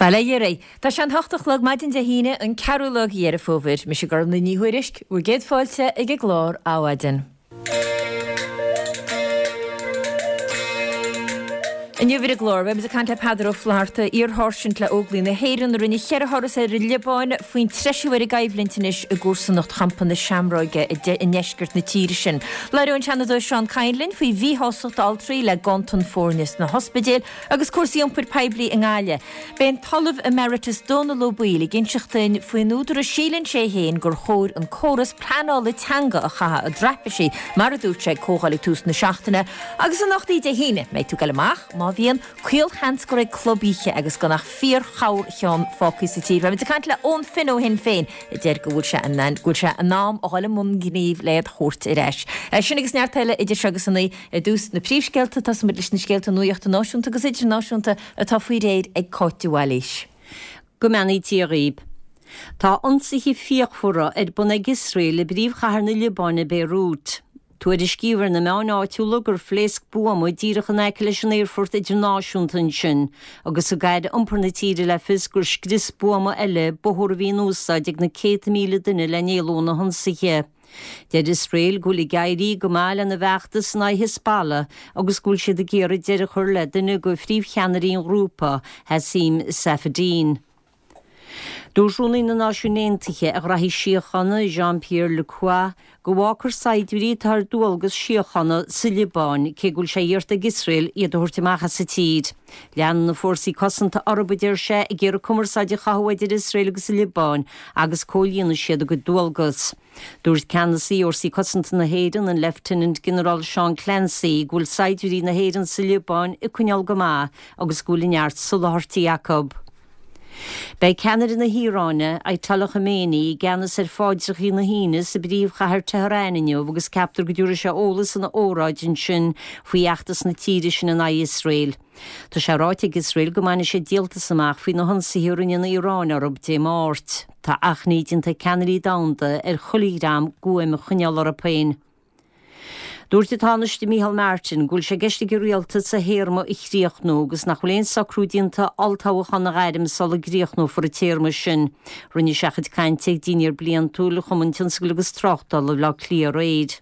Bail ó Dhia oraibh. Tá sé an hocht a chlog maidin Dé hAoine, an ceathrú lá de Dheireadh Fómhair. Mise Gormlaith Ní Thuairisg, bhur gcéad fáilte ag an gclár Adhmhaidin. Inniu ar an gclár, beimid ag caint le Peadar Ó Flatharta, iar-sháirsint le Óglaigh na hÉireann a rinne cheithre thuras ar an Liobáin, faoin treisiú ar an gcoimhlint anois i gcomharsanacht Champa na Seamróige i ndeisceart na tíre sin. Labhróidh an Seanadóir Seán Kyne linn faoi mhíshástacht altraí le ganntan foirne sna hospidéil agus cúrsaí iompair poiblí i nGaillimh. Beidh an tOllamh Emeritus Dónal Ó Baoill ag inseacht duinn faoin údar a síleann sé féin gur chóir an córas pleanála teanga a chaitheamh i dtraipisí, mar a dúirt sé ag comhdháil ag tús na seachtaine. Agus anocht Dé hAoine, mbeidh tú ag goil amach? Má bhíonn, caolsheans go raibh club oíche agus gan ach fíor-chorrcheann fágtha sa tír. Beimid ag caint le Eoin Finn ó Shinn Féin a deir go bhfuil sé in go bhfuil sé in am a dhul i mbun gnímh le iad a thabhairt ar ais. Sin agus neart eile idir seo agus a naoi. Ar dtús, na príomhscéalta, tosóimid leis na scéalta nuachta náisiúnta agus idirnáisiúnta atá faoi réir ag Cáit de Bhailís. Go mbeannaí Dia dhaoib. Tá ionsaithe fíochmhara ar bun ag Iosrael i bpríomhchathair na Liobáine, Beirut. Tuairiscíodh ar na meáin áitiúla gur phléasc buama díreach in aice leis an aerfort idirnáisiúnta ansin agus thug aire iompair na tíre le fios gur scrios buama eile bóthar a bhí in úsáid ag na céadta míle duine le n-éalú ó na hionsaithe. Deir Iosrael go bhfuil ag éirí go maith lena bhfeachtas in aghaidh Hezbollah agus go bhfuil siad ag iarraidh deireadh a chur le duine de phríomhcheannairí an ghrúpa, Hazem Safieddine. Dúirt Rúnaí na Náisiún Aontaithe ar Ghraithí Síochána, Jean-Pierre Lacroix, go bhfágfar saighdiúirí atá ar dualgas síochána sa Liobáin, cé go bhfuil sé iarrta ag Iosrael iad a thabhairt amach as an tír. Leanann na fórsaí cosanta orthu, a deir sé, ag iarraidh cumarsáid a chothú idir Iosrael agus an Liobáin agus comhlíonfaidh siad a gcuid dualgas. Dúirt Ceannasaí Fhórsaí Cosanta na hÉireann, an Leifteanant-Ginearál Seán Clancy, go bhfuil saighdiúirí na hÉireann sa Liobáin ag coinneáil go maith agus go bhfuil neart soláthairtí acu. Beidh ceannaire na hIaráine, Ayatollah Khamenei, i gceannas ar phaidreacha na hAoine sa bpríomhchathair Tehran inniu agus ceaptar go dtabharfaidh sé eolas ina óráid ansin faoi fheachtas na tíre sin in aghaidh Iosrael. Tá sé ráite ag Iosrael go mbainfidh siad díoltas amach faoi na hionsaithe a rinne an Iaráin orthu Dé Máirt. Tá achainí déanta ag ceannairí domhanda ar chuile dhream guaim a choinneáil orthu féin. Dúirt an Tánaiste Micheál Martin go bhfuil sé i gceist ag an rialtas a théarma a chríochnú agus nach bhfuil aon socrú déanta olltoghchán a ghairm sula gcríochnófar an téarma sin. Rinne sé a chuid cainte ag dinnéar bliantúil Chumann Tionscail agus Tráchtála Bhaile Átha Cliath aréir.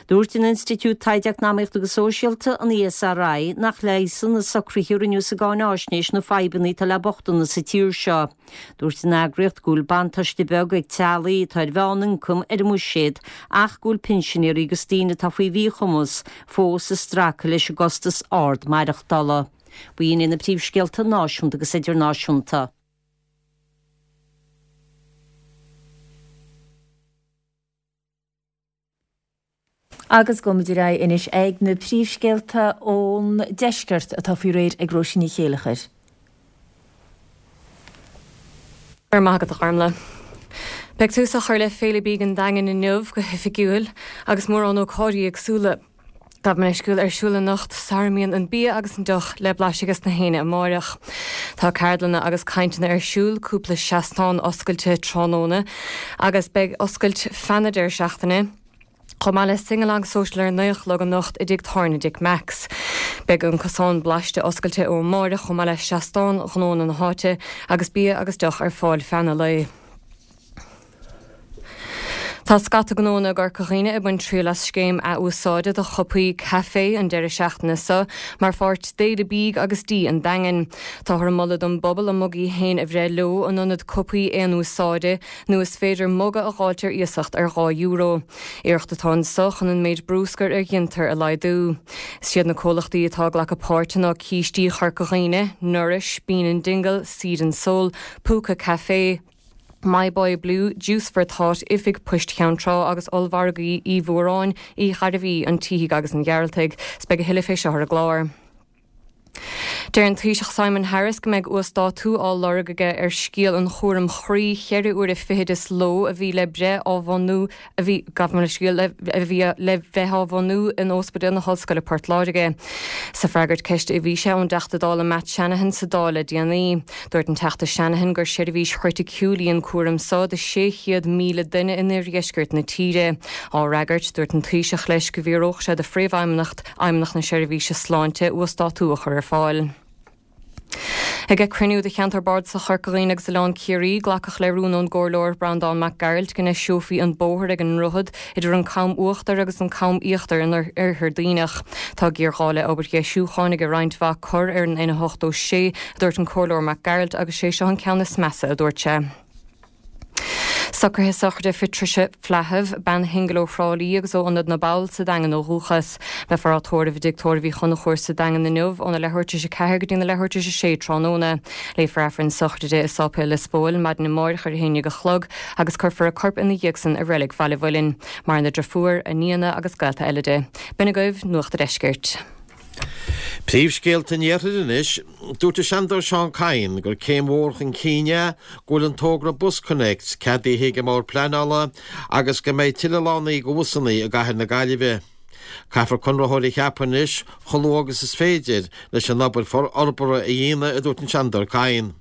Dúirt an Institiúid Taighde Eacnamaíochta agus Sóisialta, an ESRI, nach leigheasann na socruithe a rinneadh sa gcáináisnéis na fadhbanna atá le bochtanas sa tír seo. Dúirt an eagraíocht go bhfuil buntáiste beag ag teaghlaigh atá ar mheánioncam ar an mbuiséad ach go bhfuil pinsinéirí agus daoine atá faoi mhíchumas fós ag stracadh leis an gcostas ard maireachtála. B'in iad na príomhscéalta náisiúnta agus idirnáisiúnta. Agus gabhfaimid ar aghaidh anois ag na príomhscéalta ón deisceart atá faoi réir ag Róisín Ní Chéileachair. Go raibh maith agat a Ghormlaith. Beidh tús á chur le Féile Bídh an Daingin inniu go hoifigiúil agus mórán ócáidí éagsúla. Gabh mo leithscéal ar siúl anocht sara mbíonn an bia agus an deoch le blaiseadh ages na héinne amáireach. Tá ceardlanna agus cainteanna ar siúl, cúpla seastán oscailte tráthnóna agus beidh oscailt feadh na deireadh seachtaine, chomh maith le Sing-Along Social ar a naoi a chlog anocht i dtigh tábhairne Dick Mack's. Beidh an Cosán Blaiste oscailte ó amáireach chomh maith le seastán ghnónna na háite agus bia agus deoch ar fáil feadh an lae. Tá scata gnónna i gCorca Dhuibhne ag baint triail as scéim ath-úsáide do chupaí caife an deireadh seachtaine seo mar pháirt d'Fhéile Bídh agus Dí an Daingin. Táthar ag moladh don bpobal a mugaí féin a bhreith leo in ionad cupaí aon úsáide nó is féidir muga a dh'fháilt ar iasacht ar €2. Iarracht atá anso chun an méid brúscair a ghintear a laghdú. Is iad na comhlachtaí atá ag glacadh páirte ná Cístí Chorca Dhuibhne, Nourish, Bean and Dingle, Seed and Soul, Púca Café, My Boy Blue, Juice for Thought, Oifig Poist Cheann Trá agus Ollmhargaí Uí Mhóráin, Uí Ghairbhí, an tSíthigh agus an Ghearaltaigh. 'S beidh a thuilleadh fé seo ar an gclár. Deir an Taoiseach Simon Harris go mbeidh uasdátú á lorg aige ar scéal an chúraim chroí cheithre huaire fichid sa ló a bhí le breith á bhunú a bhí, gabh mo leithscéal, a bhí le bheith á bhunú in Ospidéal na hOllscoile Port Láirge. Sa freagairt ceiste a bhí sé ón dTeachta Dála Matt Shanahan sa Dáil le déanaí. Dúirt an Teachta Shanahan gur seirbhís chriticiúil í an cúram so do 600,000 duine in oirdheisceart na tíre. Á fhreagairt, dúirt an Taoiseach leis go bhfiafródh sé de Phríomhfheidhmeannacht Fheidhmeannacht na Seirbhíse Sláinte uasdátú a chur ar fáil. Ag cruinniú de Cheantar Bardasach Chorca Dhuibhne agus Oileán Ciarraí, glacadh le rún ón gComhairleoir Breandán Mac Gearailt go ndeiseofaí an bóthar ag an ndroichead idir an Cam Uachtair agus an Cam Íochtair in Oirthear Duibhneach. Tá géarghá le obair dheisiúcháin ag roinnt mhaith cor ar an N86, a dúirt an Comhairleoir Mac Gearailt, agus sé seo an ceann is measa, a dúirt sé. Socruithe sochraide Phatricia Flahive, bean shingil ó Thrá Lí agus ó Ionad na bPoll sa Daingean ó dhúchas. Beifear á tórramh i dTigh Tórraimh Uí Chonchúir sa Daingean inniu óna leathuair tar éis 4 go dtí na leathuair tar éis 6 tráthnóna. Léifear Aifreann sochraide i Sáipéal Lios Póil maidin amáireach ar a haon dhéag a chlog agus cuirfear a corp ina dhiaidh san i Reilig Bhaile Mhuilinn. Maireann a driofúr, a nianna agus gaolta eile di. B'in agaibh Nuacht a' Deiscirt. Príomhscéalta an Iarthair anois. Dúirt an Seanadóir Seán Kyne gur céim mhór chun cinn é go bhfuil an togra BusConnects ceadaithe ag an mBord Pleanála agus go mbeidh tuilleadh lánaí do bhusanna i gcathair na Gaillimhe. Caithfear conraitheoir a cheapadh anois chomh luath agus is féidir leis an obair forbartha a dhéanamh, a dúirt an Seanadóir Kyne.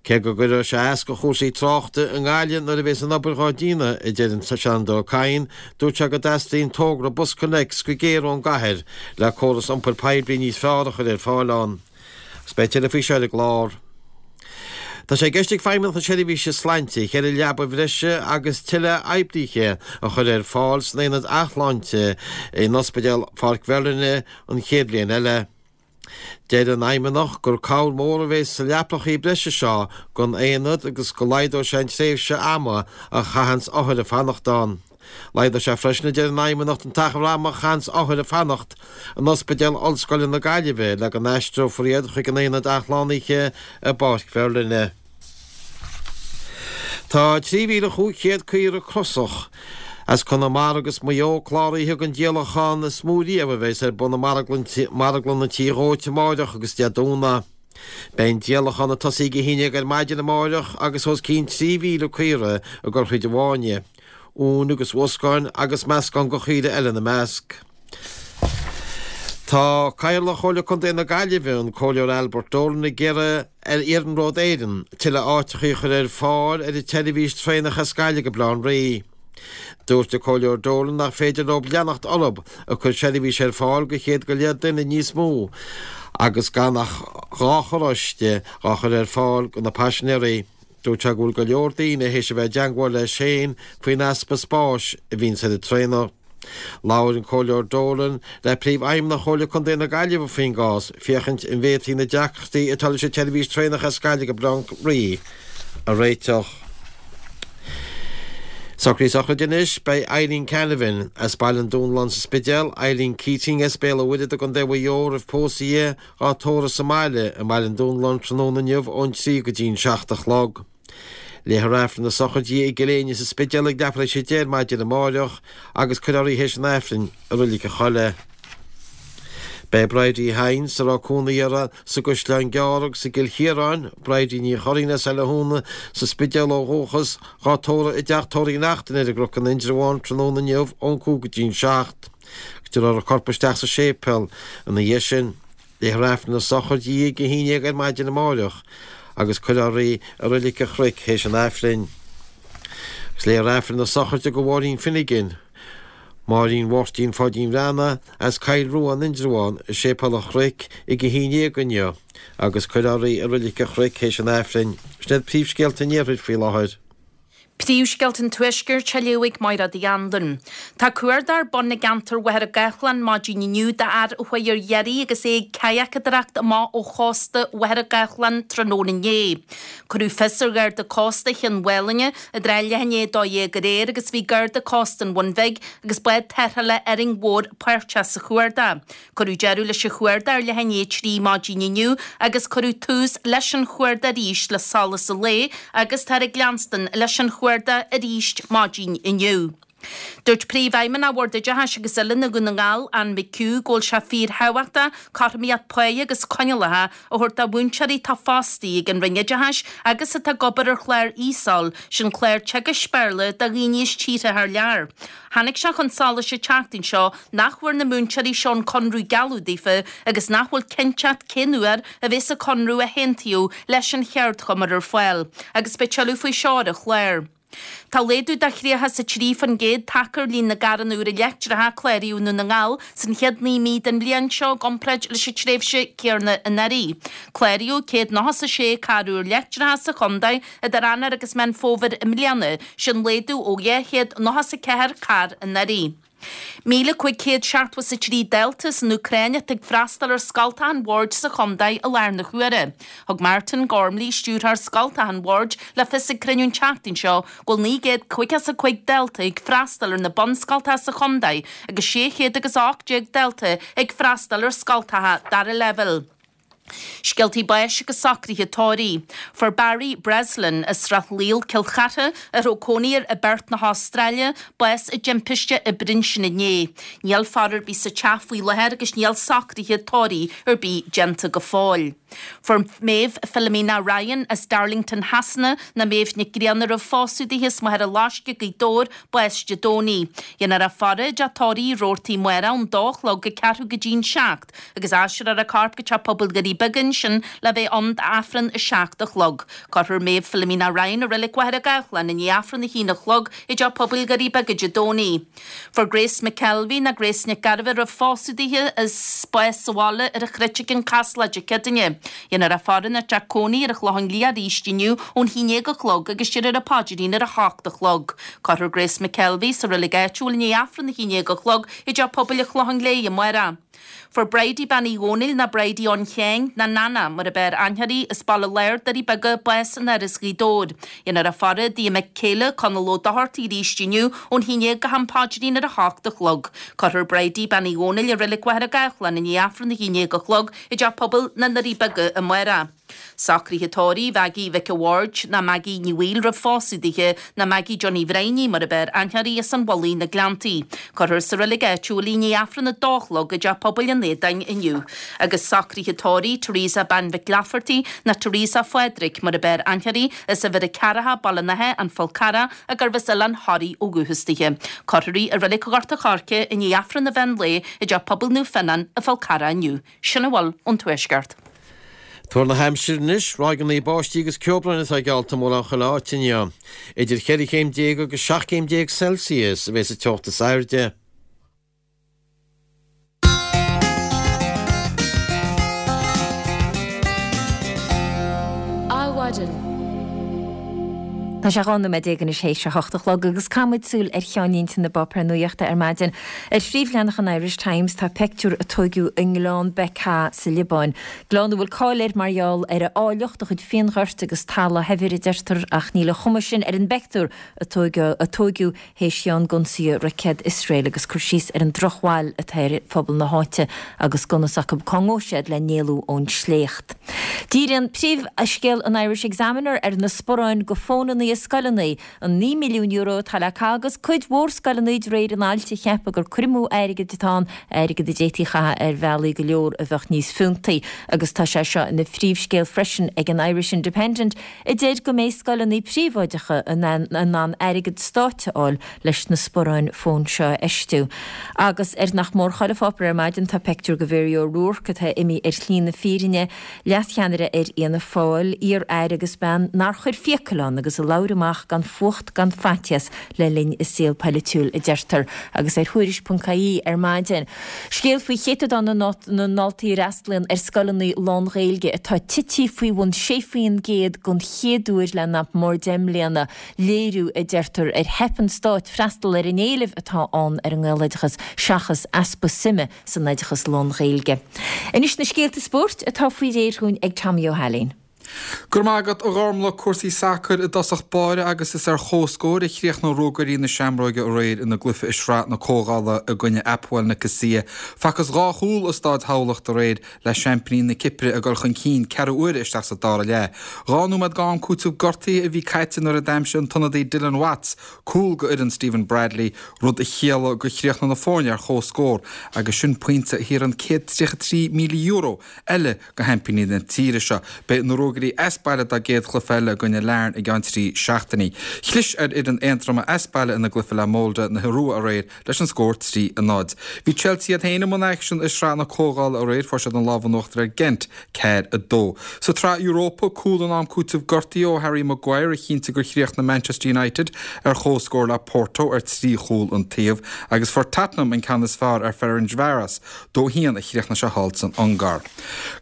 Cé go gcuirfidh sé as do chúrsaí tráchta i nGaillimh nuair a bhéas an obair dhá déanamh, a deir an Seanadóir Kyne, dúirt sé go dteastaíonn togra BusConnects go géar ón gcathair le córas iompair poiblí níos fearr a chur ar fáil ann. Agus beidh tuilleadh faoi seo ar an gclár. Tá sé i gceist ag Feidhmeannacht na Seirbhíse Sláinte cheithre leaba bhreise agus tuilleadh oibrithe a chur ar fáil san aonad athshláinte in Ospidéal Pháirc Mherlyn an chéad bhliain eile. Deir an Fheidhmeannacht gur cabhair mhór a bheas sa leapachaí breise seo don aonad agus go laghdóidh sé an tréimhse ama a chaitheanns othair ag fanacht ann. Laghdóidh sé freisin, a deir an Fheidhmeannacht, an t-achar ama a chaitheanns othair ag fanacht in Ospidéal Ollscoile na Gaillimhe le go n-aistreofar iad chuig an aonad athshlánaithe i bPáirc Mherlyn. Tá 3,500 caora crosach as Conamara agus Maigh Eo cláraithe don díolachán is mó riamh a bheas ar bun i Marglann an Tí Dhóite amáireach agus Dé Domhnaigh. Beidh an díolachán ag tosaí ag a haon dhéag ar maidin amáireach agus os cionn 3,000 caora ag dul thríd an bhfáinne, uain agus uascáin agus meascán de chaoire eile ina measc. Tá Cathaoirleach Chomhairle Contae na Gaillimhe, an Comhairleoir Albert Dolan ag iarraidh ar Iarnród Éireann tuilleadh áiteachaí a chur ar fáil ar an tseirbhís traenach as Gaillimh go Baile Átha an Rí. Dúirt an Comhairleoir Dolan nach féidir leo leanacht orthu ag cur seirbhís ar fáil do chéad go leith duine níos mó agus gan ach 2 charráiste dhá chur ar fáil do na paisinéirí. Dúirt sé go bhfuil go leor daoine théis a bheith i dteangmháil leis féin faoin easpa spáis a bhíonns ar an traenach. Labhair an Comhairleoir Dolan le Príomhfheidhmeannach Chomhairle Contae na Gaillimhe faoin gcás, féachaint an bhféadfaí na deacrachtaí atá leis an tseirbhís traenach as Gaillimh go Baile Átha an Rí a réiteach. Socruithe sochraide anois, beidh Eileen Canavan as Baile an Dúnláin sa Spidéal, Eileen Keating as Béal an Mhuirthead i gContae Mhaigh Eo roimh pósadh di, á tórramh sa mbaile i mBaile an Dúnláin tráthnóna inniu ón 3 go dtí'n 7 a chlog. Léifear Aifreann na sochraide di i gCill Éinne sa Spidéal ag leathuair tar éis 10 ar maidin amáireach agus cuirfear í théis an Aifrinn i Reilig an Choilligh. Beidh Bridie Hynes, a raibh cónaí uirthi sa gCaisleán Gearr agus i gCill Chiaráin, Bridie Ní Churraoin as Oileán Thúna sa Spidéal ó dhúchas, dhá tórramh i dTeach Tórraimh Uí Neachtain ar an gCnoc in Indreabhán tráthnóna inniu ón 5 go dtí'n 7. Tabharfar a corp isteach sa séipéal ina dhiaidh sin. Léifear Aifreann na sochraide di ag a haon dhéag ar maidin amáireach agus cuirfear í i Reilig an Chnoic théis an Aifrinn. Agus léifear Aifreann na sochraide do Mháirín Finnegan, Máirín Mháirtín Pháidín Bhreathnaigh as Coill Rua in Indreabhán i Séipéal an Chnoic ag a haon dhéag inniu agus cuirfear í i Reilig an Chnoic théis an Aifrinn. Sin iad príomhscéalta an Iarthair faoi láthair. Príomhscéalta an Tuaiscirt á léamh ag Máire Uí Anluain. Tá cuardach ar bun i gceantar Mhachaire Gathlán maidin inniu d'fhear a chuaigh ar iarraidh agus é ag cadhacadóireacht amach ó chósta Mhachaire Gathlán tráthnóna inné. Cuireadh fios ar Gharda Cósta Chionn Mhálanna i dtrátha leath i ndiaidh 12 aréir agus bhí Garda Cósta an Bhun Bhig agus bád tarrthála Árainn Mhór páirteach sa chuardach. Cuireadh deireadh leis an chuardach ar leath i ndiaidh 3 maidin inniu agus cuireadh tús leis an chuardach arís le solas an lae agus táthar ag leanstan leis an chuardach arís maidin inniu. Dúirt Príomhfheidhmeannach Bhord Oideachais agus Oiliúna Dhún na nGall, Anne McHugh, go bhfuil sé fíorthábhachtach cothromaíocht páighe agus coinníollacha a thabhairt do mhúinteoirí atá fostaithe ag an Roinn Oideachais agus atá ag obair ar chlár ESOL, sin clár teagaisc Béarla do dhaoine as tíortha thar lear. Tháinig sé chun solais an tseachtain seo nach bhfuair na múinteoirí seo an conradh a gealladh daofa agus nach bhfuil cinnteacht cén uair a bheas an conradh a haontaíodh leis an cheardchumann ar fáil. Agus beidh tuilleadh faoi seo ar an chlár. Tá laghdú de 33% tagtha ar líon na gcarranna úra leictreacha a cláraíodh i nDún na nGall san chéad 9 mí den bhliain seo i gcomparáid leis an tréimhse céanna anuraidh. Cláraíodh 196 carr úr leictreacha sa chontae idir Eanáir agus Meán Fómhair i mbliana, sin laghdú ó 294 carr anuraidh. 1,573 dalta as an Úcráin atá ag freastal ar scoltacha an bhoird sa chontae i láthair na huaire. Thug Martin Gormley, Stiúrthóir Scoltacha an Bhoird, le fios ag cruinniú an tseachtain seo go bhfuil 955 dalta ag freastal ar na bunscoltacha sa chontae agus 618 dalta ag freastal ar scoltacha dara leibhéal. Scéaltaí báis agus socruithe tórraimh. Fuair Barry Breslin as Srath Laoil, Cill Chartha, a raibh cónaí air i bPerth na hAstráile, bás i dtimpiste oibre ansin inné. Níl faire ar bith sa teach faoi láthair agus níl socruithe tórraimh ar bith déanta go fóill. Fuair Maeve Philomena Ryan as Darlington Shasana, ná Méabh Nic Grianna a raibh phósadh dithe as Machaire Loiscthe, Gaoth Dobhair, bás Dé Domhnaigh. Dhéanfar a faire i dteach tórraimh Uí Robhartaigh amárach ón dó a chlog go ceathrú go dtí'n seacht. agus aistreofar a corp go Teach Pobail Dhoirí Beaga ansin le bheith ann d'Aifreann 7 a chlog. Cuirfear Maeve Philomena Ryan i Reilig Mhachaire Gathlán i ndiaidh Aifreann a haon a chlog i dTeach Pobail Dhoirí Beaga Dé Domhnaigh. Fuair Grace McKelvey, ná Grace Nic Gairbheith a raibh phósadh dithe, as bás sa bhaile ar an Chruit i gCionn Caslach Dé Céadaoine. Dhéanfar a faire ina teach cónaí ar an Chlochán Liath arís inniu ón 11 a chlog agus déarfar an paidrín ar a hocht a chlog. Cuirfear Grace McKelvey sa reilig áitiúil i ndiaidh Aifreann a 11 a chlog i dTeach Pobail an Chlocháin Léith amárach. Fuair Bridie Bean Uí Dhónaill ná Bridie Eoin Sheáin ná Nana mar ab fhearr aithne uirthi as Baile Láir Doirí Beaga bás in Áras Ghaoth Dobhair. Dhéanfar a faire i dtigh a mic céile Conall Ó Dochartaigh arís inniu ón 11 go ham paidrín ar a hocht a chlog. Cuirfear Bridie Bean Uí Dhónaill i Reilig Mhachaire Gathlán i ndiaidh Aifreann a 11 a chlog i dTeach Pobail na nDoirí Beaga amárach. Socruithe tórraimh Mhaggie Mhic a' Bhaird ná Maggie Ní Bhaoill roimh phósadh dithe ná Maggie Johnny Bhrianaí mar ab fhearr aithne uirthi as an Mhullaigh na Gleanntaí. Cuirfear sa reilig áitiúil í i ndiaidh Aifreann a dó a chlog i dTeach Pobail an Aodáin inniu. Agus socruithe tórraimh Teresa Bean Mhic Laifeartaigh ná Teresa Phádraig mar ab fhearr aithne uirthi as Uimhir a Ceathracha Baile an Átha an Fál Carrach a gurbh as Oileán Thoraí ó dhúchas dithe. Cuirfear í i Reilig Ghort a' Choirce i ndiaidh Aifreann an mheán lae i dTeach Pobail Naomh Fionnán an Fál Carrach inniu. Sin a bhfuil ón Tuaisceart. Tuar na haimsire anois, ráigeanna báistí agus ceobhráin atá geallta i mórán chuile áit inniu. Idir cheithre chéim déag agus 17 céim Celsius a bheas an teocht is airde. Adhmhaidin. Tá sé 12 nóiméad anois théis a hocht a chlog agus caithfidh muid súil ar cheannlínte na bpáipéar nuachta ar maidin. Ar phríomhleathanach an Irish Times tá peictiúr a tóigeadh i nGleann Bekaa sa Liobáin. Gleann a bhfuil cáil air mar gheall ar a áilleacht, a chuid fíonghoirt agus talamh shaibhir a deirtear ach níl an chuma sin ar an bpeictiúr a tóigeadh théis cheann d'ionsaithe roicéad Iosrael agus cur síos ar an drochbhail atá ar phobal na háite agus gunna s'acu cá ngabhfaidh siad le n-éalú ón sléacht. Díríonn príomhscéal an Irish Examiner ar na sparáin go fónanna i scoileanna An €9 milliún atá le caitheamh agus cuid mhór scoileanna de réir an ailt ag ceapadh gur cur amú airgid atá ann, airgead a d'fhéadfaí a chaitheamh ar bhealaí go leor a bheadh níos fiúntaí. Agus tá sé seo ina phríomhscéal freisin ag an Irish Independent a deir go mbeidh scoileanna príobháideacha in ann airgead stáit a fháil leis na sparáin fóin seo a fheistiú. Agus ar nach mór chuile pháipéar ar maidin tá peictiúr de Mhary O'Rourke atá imithe ar shlí na fírinne. Leascheannaire ar Fhianna Fáil, iar-aire agus bean nár chuir fiacail ann agus a labhair amach gan fuacht gan faitíos le linn a saol polaitiúil, a deirtear. Agus ar Thuairisc.ie ar maidin, scéal faoi chéatadán na ndaltaí a fhreastalaíonn ar scoileanna lán-Ghaeilge atá tite faoi bhun 6% den chéad uair le nach mór 10 mbliana, léiriú, a deirtear, ar theip an stáit freastal ar an éileamh atá ann ar an nGaeloideachas seachas easpa suime san oideachas lán-Ghaeilge. Anois na scéalta spóirt atá faoi réir dhúinn ag Tommy Ó hAilín. Go raibh maith agat, a Ghormlaith. Cúrsaí sacair i dtosach báire agus is ar comhscór a chríochnaigh Ruagairí na Seamróige aréir ina gcluiche i Sraith na Comhdhála i gcoinne Apoel Nicosia. Facthas dhá chúl i Stáid Thamhlacht aréir le seaimpíní na Cipire ag dul chun cinn ceathrú uaire isteach sa dara leath. 12 nóiméad d'am cúitimh gortaithe a bhí caite nuair a d'aimsigh an t-ionadaí Dylan Watts cúl go fhoireann Stephen Bradley, rud a chiallaigh gur chríochnaigh na foirne ar comhscór agus sin pointe a thabharfaidh €133,000 eile go sheaimpíní na tíre seo. Beidh na Ruagairí as. baile dá gcéad chluiche eile i gcoinne Larne i gceann 3 seachtainí. Chlis ar fhoireann Aontroma as baile ina gcluiche le Molde na hIorua aréir leis an scór 3, 0. Bhí Chelsea iad féin i mbun aicsin i Sraith na Comhdhála aréir, fuair siad an lámh in uachtar ar Gent, 4, 2. Sa tSraith Europa, cúl in am cúitimh gortaithe ó Harry Maguire a chinntigh gur chríochnaigh Manchester United ar comhscór le Porto ar 3 chúl an taobh agus fuair Tottenham an ceann is fearr ar Ferencvaros, 2, 1 a chríochnaigh sé thall san Ungáir.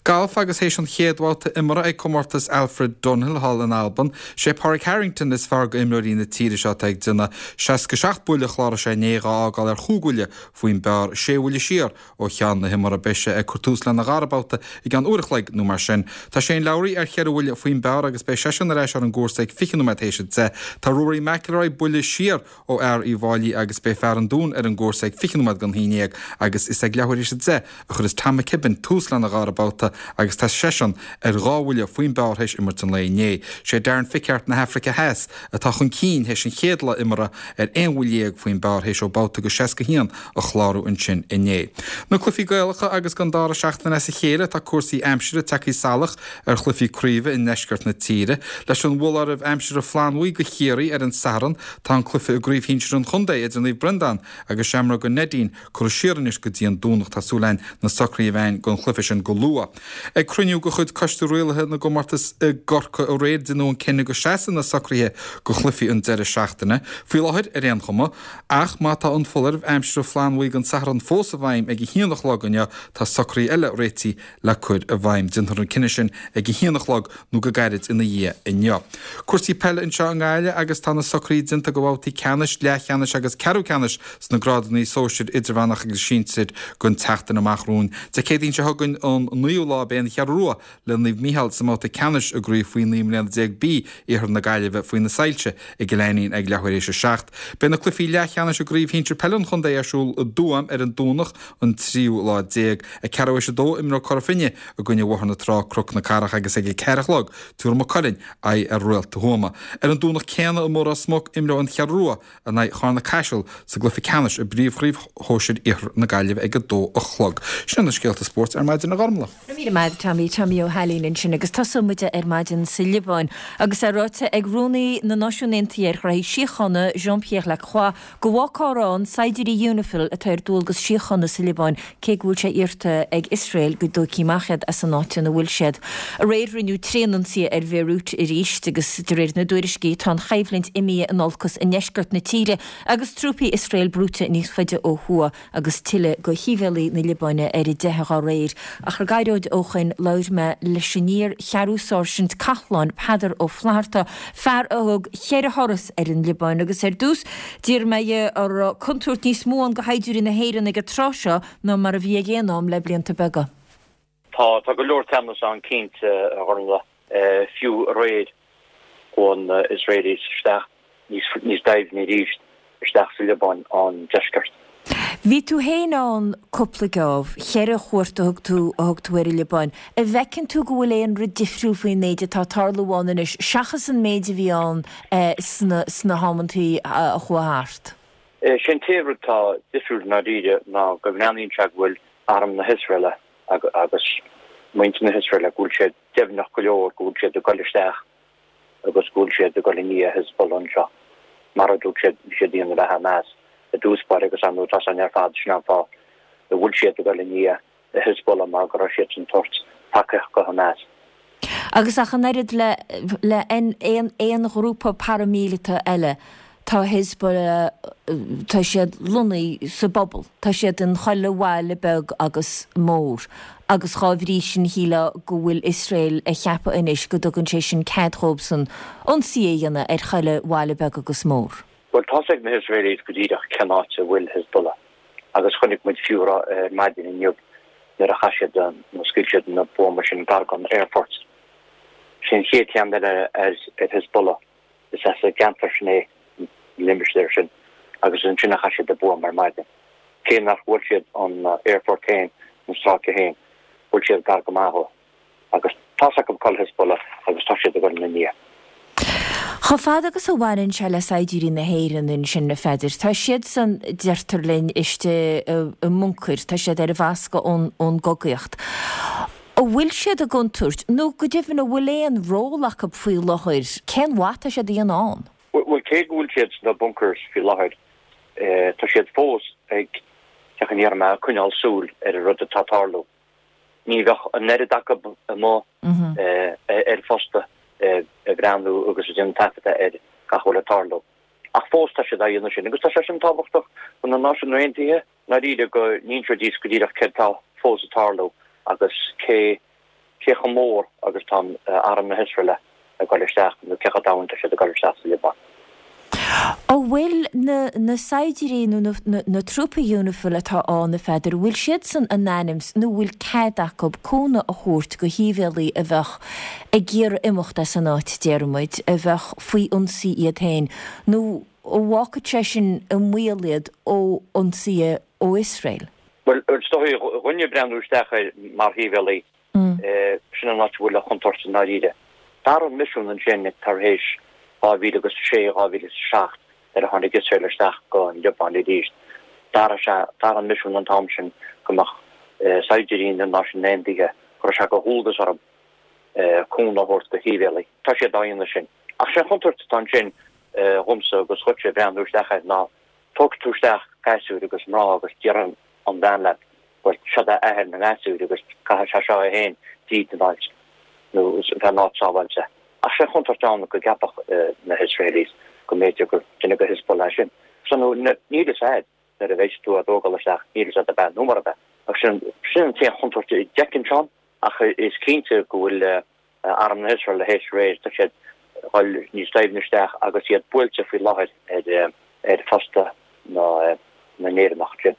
Galf agus théis an chéad bhabhta imeartha ag comórtas Alfred Dunhill thall in Albain, sé Pádraig Harrington is fearr go imreoirí na tíre seo atá ag déanamh. 67 buille a chláraigh sé inné, dhá fhágáil ar chúig bhuille faoin bpar, sé bhuille siar ó cheann na himeartha. Beidh sé ag cur tús lena dhara babhta i gceann uair a chloig nó mar sin. Tá Shane Lowry ar cheithre bhuille faoin bpar agus beidh seisean ar ais ar an gcúrsa ag 20 nóiméad théis a 10. Tá Rory McIlroy buille siar ó fhear Uíbh Fhailí agus beidh fear an Dúin ar an gcúrsa ag 20 nóiméad don haon dhéag agus is ag leathuair théis a 10 a chuireas Tom McKibbin tús lena dhara babhta agus tá seisean ar dhá bhuille faoin bpar théis imirt an lae inné. Sé Darren Fichardt na hAfraice Theas atá chun cinn théis an chéad lá imeartha ar aon bhuille dhéag faoin bpar théis dó babhta go 61 a chlárú ansin inné. Na cluichí Gaelacha agus don dara seachtain as a chéile tá cúrsaí aimsire tagtha salach ar chluichí craoibhe i ndeisceart na tíre. Leis an bhfoláireamh aimsire flannbhuí go Chiarraí ar an Satharn, tá an cluiche i gcraobh shinsir an chontae idir Naomh Breandán agus Seamróga Neidín curtha siar anois go dtí an Domhnach. Tá súil againn na socruithe a bheith againn don chluiche sin go luath. Ag cruinniú de chuid Coiste Rialaithe na gComórtas i gCorcaigh aréir deineadh an cinneadh go seasfaidh na socruithe go chluichí an deireadh seachtaine. Faoi láthair, ar aon chuma. Ach má tá an foláireamh aimsire flannbhuí don Satharn fós i bhfeidhm ag a haon a chlog inniu, tá socruithe eile réitithe le cur i bhfeidhm. Déanfar an cinneadh sin ag a haon a chlog nó go gairid ina dhiaidh inniu. Cúrsaí peile anseo i nGaillimh agus tá na socruithe déanta do bhabhtaí ceannais, leathcheannais agus ceathrú ceannais sna grádanna sóisir, idirmheánach agus sinsir don tseachtain amach romhainn. Dé Céadaoin seo chugainn an naoú lá beidh an Cheathrú Rua le Naomh Mícheál sa mbabhta ceannais i gcraobh faoi 19 mbliana B Iarthar na Gaillimhe faoi na soilse i gCill Ainnín ag leathuair théis a 7. Beidh na cluichí leathcheannais i gcraobh shinsir peile an chontae ar siúl i dTuaim ar an Domhnach an tríú lá déag. Ag ceathrú théis a dó imreoidh Cora Finne i gcoinne Bhóthar na Trá, Cnoc na Cathrach agus ag a ceathair a chlog tabharfaidh Maigh Cuilinn aghaidh ar Réalta Thuama. Ar an Domhnach céanna i mBóthar Ros Muc imreoidh an Cheathrú Rua in aghaidh Charna Caiseal sa gcluiche ceannais i bpríomhchraobh shóisir Iarthar na Gaillimhe ag a dó a chlog. Sin iad na scéalta spóirt ar maidin a Ghormlaith. Go raibh míle maith agat Tommy, Tommy Ó hAilín ansin agus tosóidh muid ar maidin sa Liobáin agus é ráite ag Rúnaí na Náisiún Aontaithe ar Ghnoithí Síochána, Jean-Pierre Lacroix, go bhfágfar ann saighdiúirí Unifil atá ar dualgas síochána sa Liobáin cé go bhfuil sé iarrta ag Iosrael go dtógfaí amach iad as an áit ina bhfuil siad. Aréir rinneadh tréanionsaí ar Bhéiriút arís agus de réir na dtuairiscí tá an choimhlint imithe in olcas i ndeisceart na tíre agus trúpaí Iosrael brúite níos faide ó thuaidh agus tuilleadh de shíbhéalaí na Liobáine ar a dteitheadh dá réir. Ach gairid ó shoin labhair mé leis an iar-cheathrú-sáirsint Cathláin, Peadar Ó Flatharta, fear a thug cheithre thuras ar an Liobáin agus ar dtús d'iarr mé dhe an raibh contúirt níos mó ann do shaighdiúirí na hÉireann ag an tráth seo ná mar a bhí ag aon am le blianta beaga. Tá, tá go leor teannas ann cinnte, a Ghormlaith. Fiú aréir chuaigh na Israelis isteach níos, níos doimhne arís isteach sa Liobáin, an deisceart. Bhí tú féin ann cúpla geábh, cheithre chuairt a thug tú, a thug tú ar an Liobáin. An bhfeiceann tú go bhfuil aon rud difriúil faoin méid atá ag tarlú ann anois seachas an méid a bhí ann sna, sna hamantaí a chuaigh thart? Sé an t-aon rud atá difriúil i ndáiríre ná go mbreathnaíonn sé go bhfuil arm na hIosraele agus muintir na hIosraele, go bhfuil siad deimhneach go leor go bhfuil siad ag dul isteach agus go bhfuil siad ag dul i ndiaidh Hezbollah anseo, mar a dúirt siad, bhí siad ag déanamh le Hamas i dtús báire agus ar ndóigh tá san ar fad, sin an fáth a bhfuil siad ag dul i ndiaidh Hezbollah mar go raibh siadsan ag tabhairt tacaíocht go Hamas. Agus ach an oiread le le aon aon ghrúpa paraimíleata eile, tá Hezbollah, tá siad lonnaithe sa bpobal, tá siad in chuile bhaile beag agus mór agus dhá bhrí sin shílfeá go bhfuil Iosrael a cheapadh anois go dtugann sé sin cead dhóibhsan ionsaí a dhéanamh ar chuile bhaile beag agus mór. Bhuel, tá's ag na hIosraelaigh go díreach cén áit a bhfuil Hezbollah agus chonaic muid fiú ar maidin inniu nuair a chaith siad, nó scaoil siad na buamaí sin gar don aerfort. Sin an chéad cheann eile ar Hezbollah. Is as an gceantar sin é, an limistéar sin, agus is ansin a chaith siad an buama ar maidin. Cé nár bhuail siad an aerfort féin, an stráice féin, bhuail siad gar go maith dhó. Agus tá's acu cá bhfuil Hezbollah agus tá siad ag dul ina ndiaidh. Chomh fada agus a bhaineann sé le saighdiúirí na hÉireann ansin, a Pheadair, tá siadsan, deirtear linn, istigh i mbuncair, tá siad ar an bhfoscadh ón gcogaíocht. An bhfuil siad i gcontúirt, nó go deimhin an bhfuil aon ról acu faoi láthair? Cén mhaith atá siad a dhéanamh ann? Bhuel, cé go bhfuil siad sna bunkers faoi láthair, tá siad fós ag, cén chaoi a ndéarfaidh mé, ag coinneáil súil ar an rud atá ag tarlú. Ní bheadh an oiread acu amuigh ar phosta ag breathnú agus ag déanamh taifeadta ar gach a bhfuil ag tarlú. Ach fós tá siad á dhéanamh sin agus tá sé sin tábhachtach do na Náisiúin Aontaithe i ndáiríre go n-inseoidís go díreach céard atá fós ag tarlú agus cé cé chomh mór agus tá arm na hIosraeile ag dul isteach nó cé chomh domhain tá siad ag dul isteach sa Liobáin. An bhfuil na na saighdiúirí nó na na trúpaí Unifil atá ann, a Pheadair, an bhfuil siadsan in ainm 's nó an bhfuil cead acu cúnamh a thabhairt go shibhialaigh a bheadh ag iarraidh imeacht as an áit, déarfaidh muid, a bheadh faoi ionsaí iad féin, nó an bhfágfadh sé sin i mbaol iad ó ionsaithe ó Iosrael? Bhuel, is dóigh dhuine breathnú isteach air mar shibhialaí, sin an áit a bhfuil an chontúirt i ndáiríre. D'athraigh an misiún ansin tar éis 2006, 2007 nuair a tháinig Iosrael isteach go an Liobáin arís. D'athraigh sé, d'athraigh an misiún an t-am sin go mbeadh saighdiúirí na Náisiún Aontaithe, go raibh sé de dhualgas orthu cúnamh a thabhairt do shibhialaigh. Tá siad á dhéanamh sin. Ach sé an chontúirt atá ansin dhomsa agus dhuitse ag breathnú isteach air ná tógfaidh tú isteach gasúir agus mná agus déarfaidh an bhean leat bhuel seo é athair na ngasúir agus caithfidh sé seo é féin tríd an áit nó bheith in áit sábháilte. Ach sé an chontúirt ann go gceapfadh na hIsraelis go mb'fhéidir gur duine de Hezbollah é sin. So níl a fhios a'd nuair a bheidh tú á dtógáil isteach níl a fhios a'd ab ea nó murab ea. Ach sin sin an t-aon chontúirt a d'fheicimse ann. Ach is cinnte go bhfuil arm na hIosrael théis aréir, tá siad ag dul níos doimhne isteach agus iad buailte faoi láthair ar phosta na nÉireannach sin.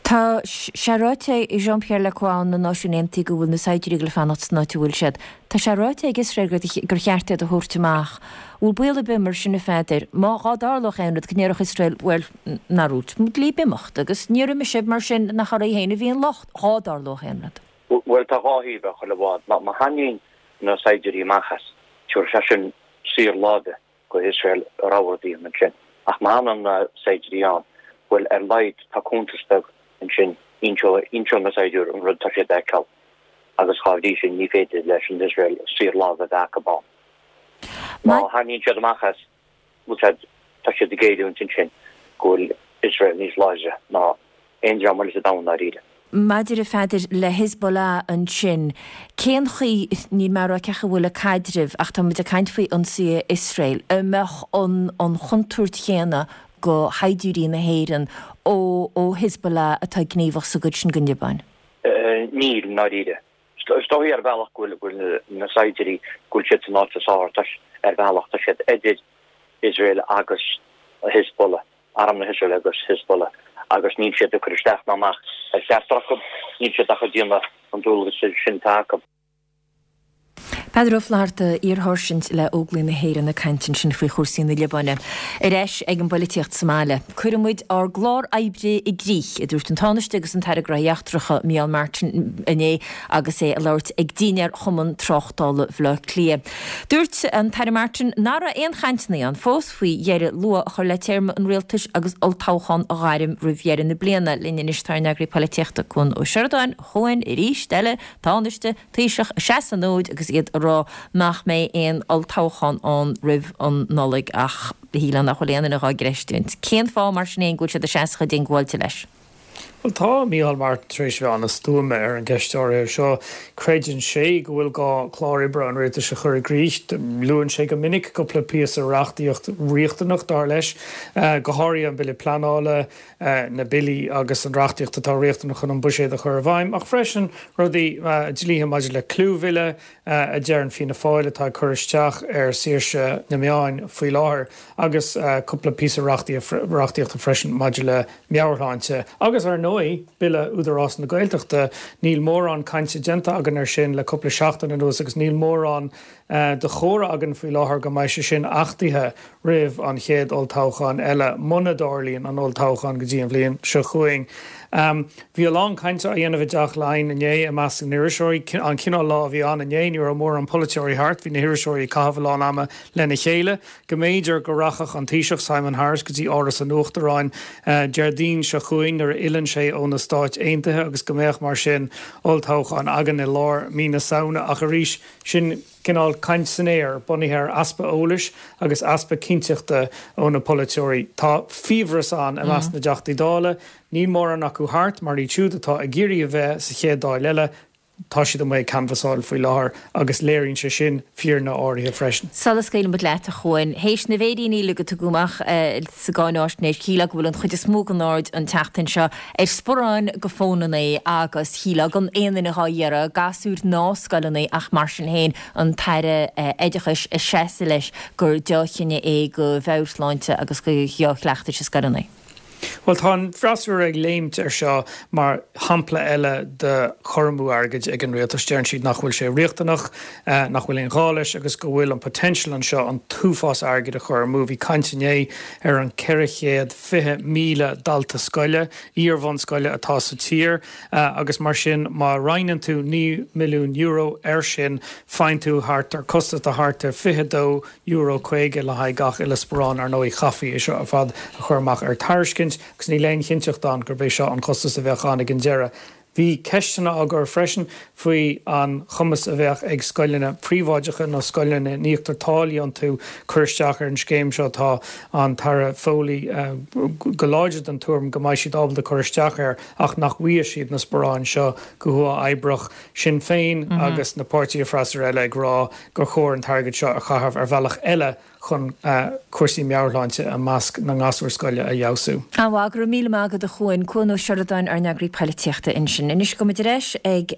Tá sé ráite ag Jean-Pierre Lacroix ó na Náisiúin Aontaithe go bhfuil na saighdiúirí ag dul fanacht san áit a bhfuil siad. Tá sé ráite ag Iosrael gur cheart iad a thabhairt amach. Bhfuil baol ar bith mar sin a Pheadair, má dhá dtarlódh aon rud, go ndéarfadh Iosrael, bhuel, nár dhúirt muid libh imeacht agus níor imigh sibh, mar sin nach oraibh féin a bhí an locht, dhá dtarlódh aon rud? Bhuel, tá dhá thaobh ar chuile bhád. Má tharraingíonn na saighdiúirí amach as, tabharfaidh sé sin saor láimhe go hIosrael a rogha rud a dhéanamh ansin. Ach má fhanann na saighdiúirí ann, bhuel, ar laghad tá cuntas beag ansin, inseoidh na saighdiúirí an rud atá siad a fheiceáil agus dhá bhrí sin ní féidir leis an Iosrael saor láimhe a bheith acu ann. Má tharraingíonn siad amach as, bhfuil siad, tá siad ag géilliúint ansin go bhfuil Iosrael níos láidre ná aon dream eile sa domhan dáiríre. Maidir a Pheadair le Hezbollah ansin, cén chaoi, níl mé ag rá cén chaoi a bhfuil a caidreamh ach tá muid ag caint faoi ionsaithe Iosrael, an mbeadh an an chontúirt chéanna go shaighdiúirí na hÉireann ó ó Hezbollah atá gníomhach sa gcuid sin den Liobáin? Níl, i ndáiríre. Is dóigh ar bhealach go bhfuil na saighdiúirí, go bhfuil siad san áit is fearr, ar bhealach tá siad idir Iosrael agus Hezbollah, arm na hIosraeile agus Hezbollah, agus níl siad ag cur isteach ná amach ar cheachtar acu, níl siad ach ag déanamh an dualgas sin atá acu. Peadar Ó Flatharta, iar-sháirsint le Óglaigh na hÉireann ag caint ansin faoi chúrsaí na Liobáine. Ar ais ag an bpoilitíocht sa mbaile. Cuirfidh muid ár gclár oibre i gcrích, a dúirt an Tánaiste agus an tAire Gnóthaí Eachtracha, Micheál Martin inné agus é ag labhairt ag dinnéar Chumann Tráchtála Bhaile Átha Cliath. Dúirt an tAire Martin nach raibh aon chainteanna ann fós faoi dheireadh luath a chur le téarma an rialtais agus olltoghchán a ghairm roimh dheireadh na bliana. Linn anois tá ár n-eagraí polaitíochta, Cuan Ó Seireadáin, a Chuain, arís eile, Tánaiste, Taoiseach ag seasamh an fhóid agus iad ag rá nach mbeidh aon olltoghchán ann roimh an Nollaig ach shílfeá nach bhfuil aon duine dhá gcreistiúint. Cén fáth mar sin fhéin go bhfuil siad ag seasamh chomh diongbháilte leis? Bhuel tá Micheál Martin tar éis a bheith an-stuama ar an gceist áirithe seo. Creideann sé go bhfuil gá clár oibre an rialtais a chur i gcrích. Luann sé go minic cúpla píosa reachtaíocht riachtanach, dar leis, go háirithe an Bille Pleanála, na billí agus an reachtaíocht atá riachtanach chun an buiséad a chur i bhfeidhm, ach freisin rudaí, dlíthe maidir le clúmhilleadh, a deireann Fianna Fáil atá ag cur isteach ar saoirse na meáin faoi láthair, agus cúpla píosa reachtaíochta freisin maidir le meabhairshláinte. Agus ar ndóigh, Bille Údarás na Gaeltachta, níl mórán cainte déanta againn air sin le cúpla seachtain anuas agus níl mórán de chomhartha againn faoi láthair go mbeidh sé sin achtaithe roimh an chéad olltoghchán eile, muna dtarlaíonn an olltoghchán go dtí an bhliain seo chugainn. Bhí a lán cainte á dhéanamh i dTeach Laighean inné i measc na n-iriseoirí. An cineál lá a bhí ann inné, ní raibh mórán polaiteoirí thart, bhí na hiriseoirí ag caitheamh a lán ama lena chéile. Go mb'fhéidir go rachadh an Taoiseach Simon Harris go dtí Áras an Uachtaráin Déardaoin seo chugainn nuair a fhilleann sé. sé ó na Stáit Aontaithe agus go mbeadh, mar sin, olltoghchán againn i lár mí na Samhna. Ach arís, sin cineál caint san aer, bunaithe ar easpa eolais agus easpa cinnteachta ó na polaiteoirí. Tá fiabhras ann i measc na dTeachtaí Dála. Níl mórán acu thart, mar iad siúd atá ag iarraidh a bheith sa chéad Dáil eile, Tá siad amuigh ag canbhasáil faoi láthair agus léiríonn sé sin fírinne áirithe freisin. Sula scaoileann muid leat, a Chuain, théis na bhféiríní uilig a tugadh amach sa gcáináisnéis, shílfeá go bhfuil an chuid is mó den aird an tseachtain seo ar sparáin go fónannaí agus shílfeá gan aon duine dhá iarraidh, gasúir ná scoileannaí ach mar sin féin an tAire Oideachais ag seasamh leis gur deá-chinneadh é go mheabhairshláinte agus go dhea-chleachtais i scoileannaí. Bhuel, tá an freasúra ag léimt air seo mar shampla eile de chur amú airgid ag an rialtas. Deireann siad nach bhfuil sé riachtanach, nach bhfuil aon ghá leis agus go bhfuil an potential anseo an t-uafás airgid a chur amú. Bhí caint inné ar an 420,000 dalta scoile, iar-bhunscoile atá sa tír agus mar sin má roinneann tú €9 milliún air sin faigheann tú thart ar costas de thart ar 22 Euro 50 le haghaidh gach uile sparán. Ar ndóigh, chaithfí é seo ar fad a chur amach ar tairiscint agus níl aon chinnteacht ann gurb é seo an costas a bheadh ann ag an deireadh. Bhí ceisteanna á gcur freisin faoi an chumas a bheadh ag scoileanna príobháideacha nó scoileanna a n-íoctar táillí iontu cur isteach ar an scéim seo. Tá an tAire Foley go láidir den tuairim go mbeidh siad ábalta cur isteach air ach nach bhfaighidh siad na sparáin seo go huathoibríoch. Sinn Féin agus na páirtithe freasúra eile ag rá gur chóir an t-airgead seo a chaitheamh ar bhealach eile chun cúrsaí meabhairshláinte i measc na ngasúr scoile a fheabhsú. An-mhaith, go raibh míle maith agat a Chuain. Cuan Ó Seireadáin, ár n-eagraí poilitíochta ansin. Anois gabhfaidh muid ar ais ag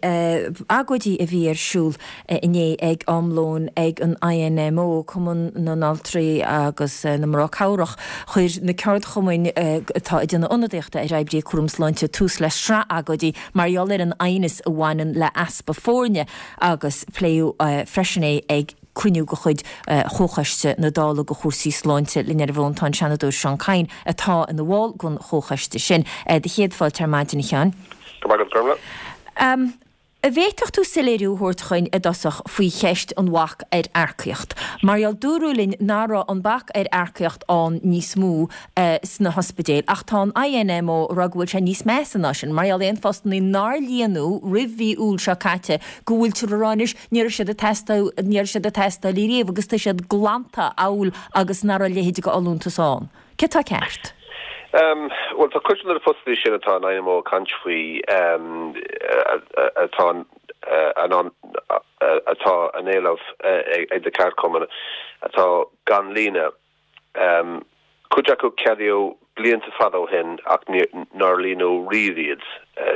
agóidí a bhí ar siúl inné ag am lóin ag an INMO, Cumann na nAltraí agus na Mná Cabhrach. Chuir na ceardchumainn atá ag déanamh ionadaíochta ar oibrithe cúram sláinte tús le sraith agóidí mar gheall ar an aighneas a bhaineann le easpa foirne. agus pléadh freisin é ag cruinniú de chuid Chomhchoiste na Dála do chúrsaí sláinte. Linn ar an bhfón tá an Seanadóir Seán Kyne atá ina bhall den Chomhchoiste sin. Do chéad fáilte ar maidin, a Sheáin. Go raibh maith agat, Gormlaith. An bhféadfadh tú soiléiriú a thabhairt chuinn i dtosach faoi cheist an bhac ar earcaíocht? Mar gheall dúradh linn nach raibh an bac ar earcaíocht ann níos mó sna hospidéil ach tá an INMO ag rá go bhfuil sé níos measa ná sin, mar gheall aon phostannaí nár líonadh roimh mhí Iúil seo caite go bhfuiltear ag rá anois ní raibh siad ag teastáil, ní raibh siad ag teastáil riamh agus tá siad glanta amhail agus nach raibh a leithéid de fholúntas ann. Cé atá ceart? Bhuel, tá cuid de na postannaí sin atá an INMO ag caint faoi atá in ann, atá á n-éileamh ag na ceardchumainn atá gan líonadh. Cuid acu ceadaíodh blianta fada ó shin ach nár líonadh riamh iad,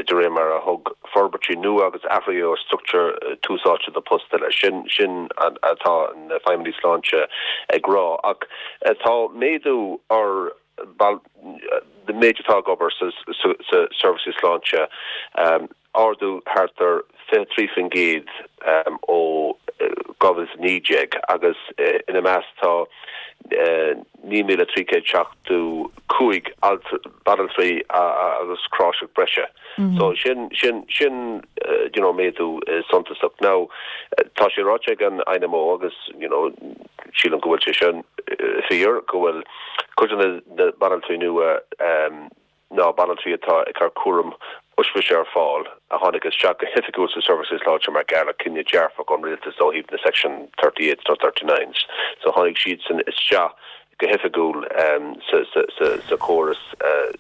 de réir mar a thug forbairtí nua agus athruithe ar struchtúr tús áite do post eile. Sin sin atá na feidhmeannaigh sláinte ag rá. Ach tá méadú ar an méid atá ag obair sa seirbhísí sláinte. ardú thart ar 23% ó 2019 agus ina measc tá 9,375 banaltraí agus cráiseach breise. So sin, sin, sin you know méadú suntasach. Now tá sé ráite ag an INMO agus you know sílim go bhfuil sé sin fíor go bhfuil cuid de na banaltraí nua ná banaltraí atá ag cur cúram oispise ar fáil a tháinig isteach go hoifigiúil sa seirbhísí sláinte mar gheall ar cinneadh dearfach ón rialtas ó thaobh na Section 38s nó 39s. So tháinig siadsan isteach go hoifigiúil sa chóras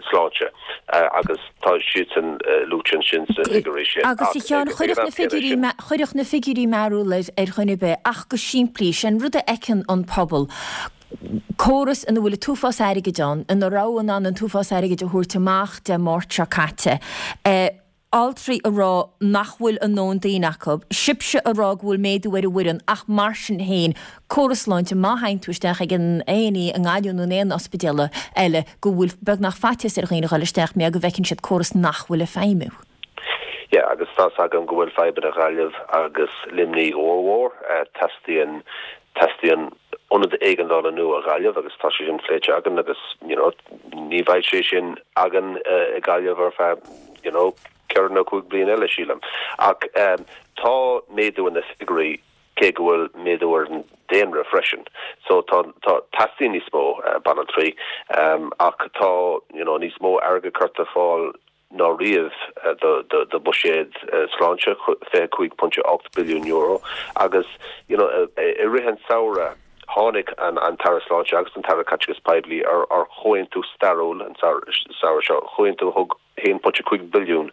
sláinte agus tá siadsan luaite ansin sna figiúirí sin. Agus a Sheáin, chuirfeadh na figiúirí, chuirfeadh na figiúirí mearbhall ar dhuine ar bith ach go simplí, sé an rud a fheiceann an pobal, córas ina bhfuil an t-uafás airgid ann, ina raibh in ann an t-uafás airgid a thabhairt amach Dé Máirt seo caite, altraí ag rá nach bhfuil a ndóthain daoine acu, sibhse ag rá go bhfuil méadú ar an bhfoireann ach mar sin féin, córas sláinte, má théann tú isteach ag an A&E i nGaillimh nó in aon ospidéal eile go bhfuil beagnach faitíos ar dhaoine a dhul isteach mar go bhfeiceann siad córas nach bhfuil ag feidhmiú. Yeah, agus tá's agam go bhfuil fadhbanna Ghaillimh agus Luimnigh ollmhór. Teastaíonn, teastaíonn ionad éigeandála nua Ghaillimh agus tá sé sin pléite againn agus, you know, ní bheidh sé sin againn i Gaillimh ar feadh, you know, ceithre nó cúig bliain eile, sílim. Ach tá méadú in na figiúirí cé go bhfuil méadú ar an daonra freisin. So tá, tá, teastaíonn níos mó banaltraí ach tá, you know, níos mó airgead curtha ar fáil. ná riamh do bhuiséad sláinte, €25.8 billiún, agus you know i rith an samhradh tháinig an tAire Sláinte agus an tAire Caiteachais Poiblí ar chomhaontú stairiúil an samhradh seo, comhaontú a thug 1.5 billiún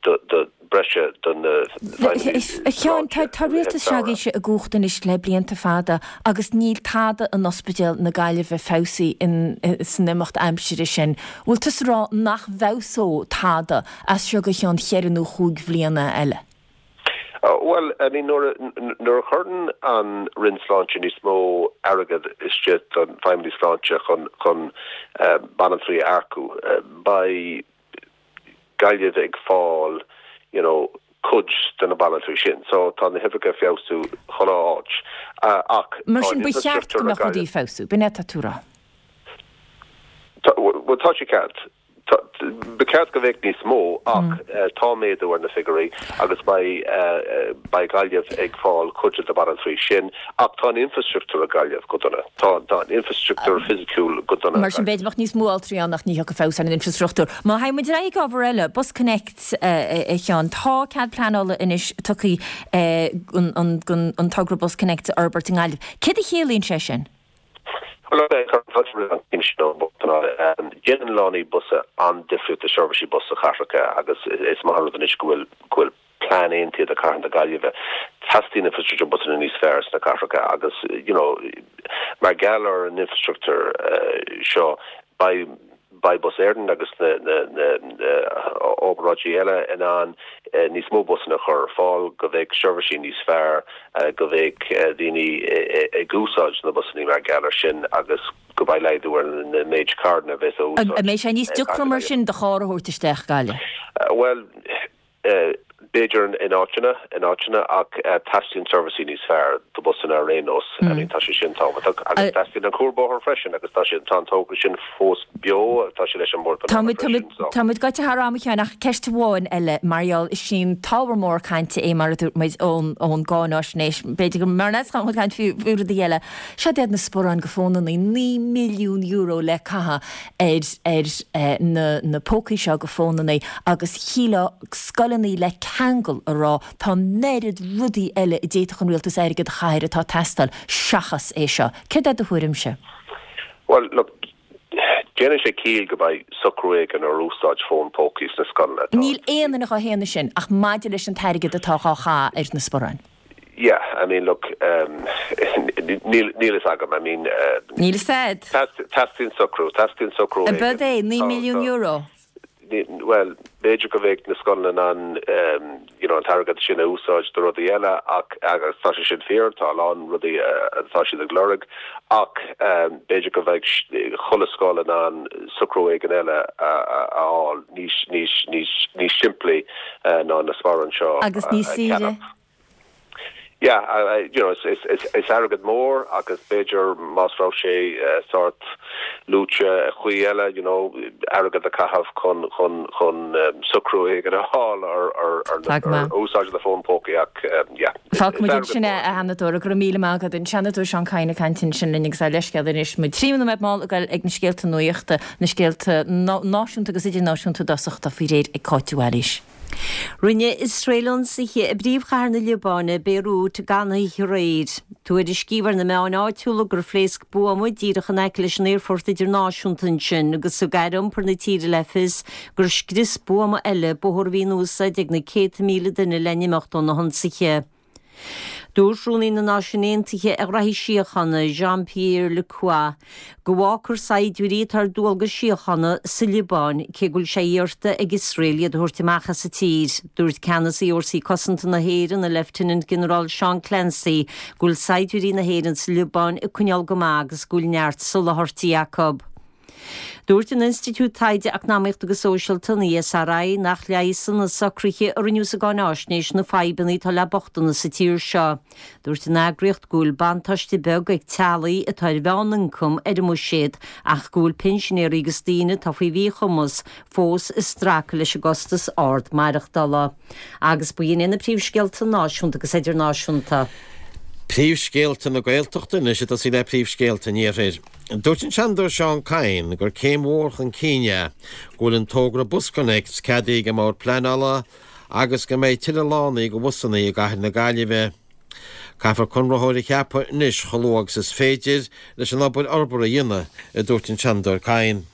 de breise do na feidhmeannaigh A Sheáin, tá sláinte i rith an rialtas seo tsamhraidh. agaibhse i gcumhacht anois le blianta fada agus níl tada in Ospidéal na Gaillimhe feabhsaithe san imeacht aimsire sin. Bhfuil tusa ag rá nach bhfeabhsóidh tada as seo go cheann cheithre nó chúig bhliana eile? Bhuel, I mean, nuair a chuireann an Roinn Sláinte níos mó airgead istigh don feidhmeannaigh sláinte chun chun banaltraí a earcú, beidh Gaillimh ag fáil, you know, cuid de na banaltraí sin. So tá na huimhreacha ag feabhsú chuile áit. Ach Mar tá sin, an ba cheart go infreastruchtúr mbeadh rudaí ag feabhsú, b'in é atá tú a rá? Bhuel, tá sé ceart. Ba cheart go mbeadh níos mó ach tá méadú ar na figiúirí agus beidh beidh Gaillimh ag fáil cuid de na banaltraí sin ach tá an infrastruchtúr i Gaillimh go dona. Tá tá an infrastruchtúr fisiciúil go dona i Mar sin b'fhéidir bheadh níos mó altraí ann ach ní thiocfaidh feabhas ar an infrastruchtúr. Má théann muid ar aghaidh ag ábhar eile, BusConnects a Sheáin, tá cead pleanála anois tugtha an an togra BusConnects a fhorbairt i nGaillimh. Céard a chiallaíonn sé sin? Déanann lánaí bus an-difríocht do sheirbhísí bus sa chathracha agus is maith an rud anois go bhfuil go bhfuil plean aontaithe do chathair na Gaillimhe. Teastaíonn infrastruchtúr busanna níos fearr sna cathracha agus you know mar gheall ar an infrastruchtúr seo beidh Beidh Bus Éireann agus na obráidí eile in ann níos mó busanna a chur ar fáil, go mbeidh seirbhísí níos fearr, go mbeidh daoine ag úsáid na busanna mar gheall air sin agus go mbeidh laghdú ar na méid carranna a bheas á úsáid. An mbeidh sé níos deacra mar sin do charr a thabhairt isteach Gaillimh? Bhuel, B'fhéidir in áiteanna, in áiteanna, ach teastaíonn seirbhísí níos fearr do bhusanna ar aon nós. I mean, tá sé sin tábhachtach. Agus teastaíonn an cuarbhóthar freisin agus tá sé, tá an togra sin fós beo, tá sé leis an mBord Pleanála freisin, so. Tá muid gaibhte thar am, a Sheáin, ach ceist amháin eile, mar gheall, is í an t-ábhar mór cainte é, mar a dúirt muid, ón, ón gcáináisnéis, b'fhéidir go mb'fhearr leat caint faoi rudaí eile. Seod iad na sparáin go fónannaí, €9 milliún le caitheamh ar ar na na pócaí seo go fónannaí agus shílfeá scoileannaí le ceangal a rá tá an oiread rudaí eile a d'fhéadfadh an rialtas airgead a chaitheamh air atá ag teastáil seachas é seo. Céard é do thuairimse? Bhuel, look, déanann sé ciall go mbeidh socrú éigin ar úsáid fón pócaí sna scoileanna. Tá. Níl aon duine dhá shéanadh sin ach maidir leis an t-airgead atá dhá chaitheamh ar na sparáin. Yeah, I mean, look, níl níl fhios agam, I mean, Níl fhios a'd. Teastaíonn socrú, teastaíonn socrú éigin. Ab é 9 milliún euro? Bhuel, b'fhéidir go mbeadh na scoileanna in ann, you know, an t-airgead sin a úsáid do rudaí eile ach, agus tá sé sin fíor, tá a lán rudaí atá siad ag lorg, ach b'fhéidir go mbeadh chuile scoil in ann socrú éigin eile a fháil níos, níos, níos, níos simplí ná na sparáin seo a Agus níos saoire. cheannach. Yeah, you know, is airgead mór agus b'fhéidir más raibh sé sórt luaite i chaoi eile, you know, airgead a chaitheamh chun, chun, chun socrú éigin a fháil ar, ar, ar úsáid na fón pócaí ach yeah, is Fágfaidh muid airgead ansin é, mór. a Sheanadóir, go raibh míle maith agat. An Seanadóir Seán Kyne ag caint ansin linn agus ár leithscéal anois, muid 3 nóiméad mall ag goil ag na scéalta nuachta, na scéalta náisiúnta agus idirnáisiúnta i dtosach atá faoi réir ag Cáit de Bhailís. Rinne Iosrael ionsaithe i bpríomhchathair na Liobáine, Béiriút, gan oíche aréir. Tuairiscíodh ar na meáin áitiúla gur phléasc buama díreach in aice leis an aerfort idirnáisiúnta ansin agus thug aire iompair na tíre le fios gur scrios buama eile bóthar a bhí in úsáid ag na céadta míle duine le n-imeacht ó na hionsaithe. Dúirt Rúnaí na Náisiún Aontaithe ar Ghraithí Síochána, Jean-Pierre Lacroix, go bhfágfar saighdiúirí atá ar dualgas síochána sa Liobáin, cé go bhfuil sé iarrta ag Iosrael iad a thabhairt amach as an tír. Dúirt Ceannasaí Fhórsaí Cosanta na hÉireann, an Leifteanant-Ginearál Seán Clancy, go bhfuil saighdiúirí na hÉireann sa Liobáin ag coinneáil go maith agus go bhfuil neart soláthairtí acu. Dúirt an Institiúid Taighde Eacnamaíochta agus Sóisialta, an ESRI, nach leigheasann na socruithe a rinneadh sa gcáináisnéis na fadhbanna atá le bochtanas sa tír seo. Dúirt an eagraíocht go bhfuil buntáiste beag ag teaghlaigh atá ar mheánioncam ar an mbuiséad ach go bhfuil pinsinéirí agus daoine atá faoi mhíchumas fós ag stracadh leis an gcostas ard maireachtála. Agus ba shin iad na príomhscéalta náisiúnta agus idirnáisiúnta. Príomhscéalta na Gaeltachta anois ag tosaí le príomhscéalta an Iarthair. Dúirt an Seanadóir Seán Kyne gur céim mhór chun cinn é go bhfuil an togra BusConnects ceadaithe ag an mBord Pleanála agus go mbeidh tuilleadh lánaí do bhusanna i gcathair na Gaillimhe. Caithfear conraitheoir a cheapadh anois chomh luath agus is féidir leis an obair fhorbartha a dhéanamh, a dúirt an Seanadóir Kyne.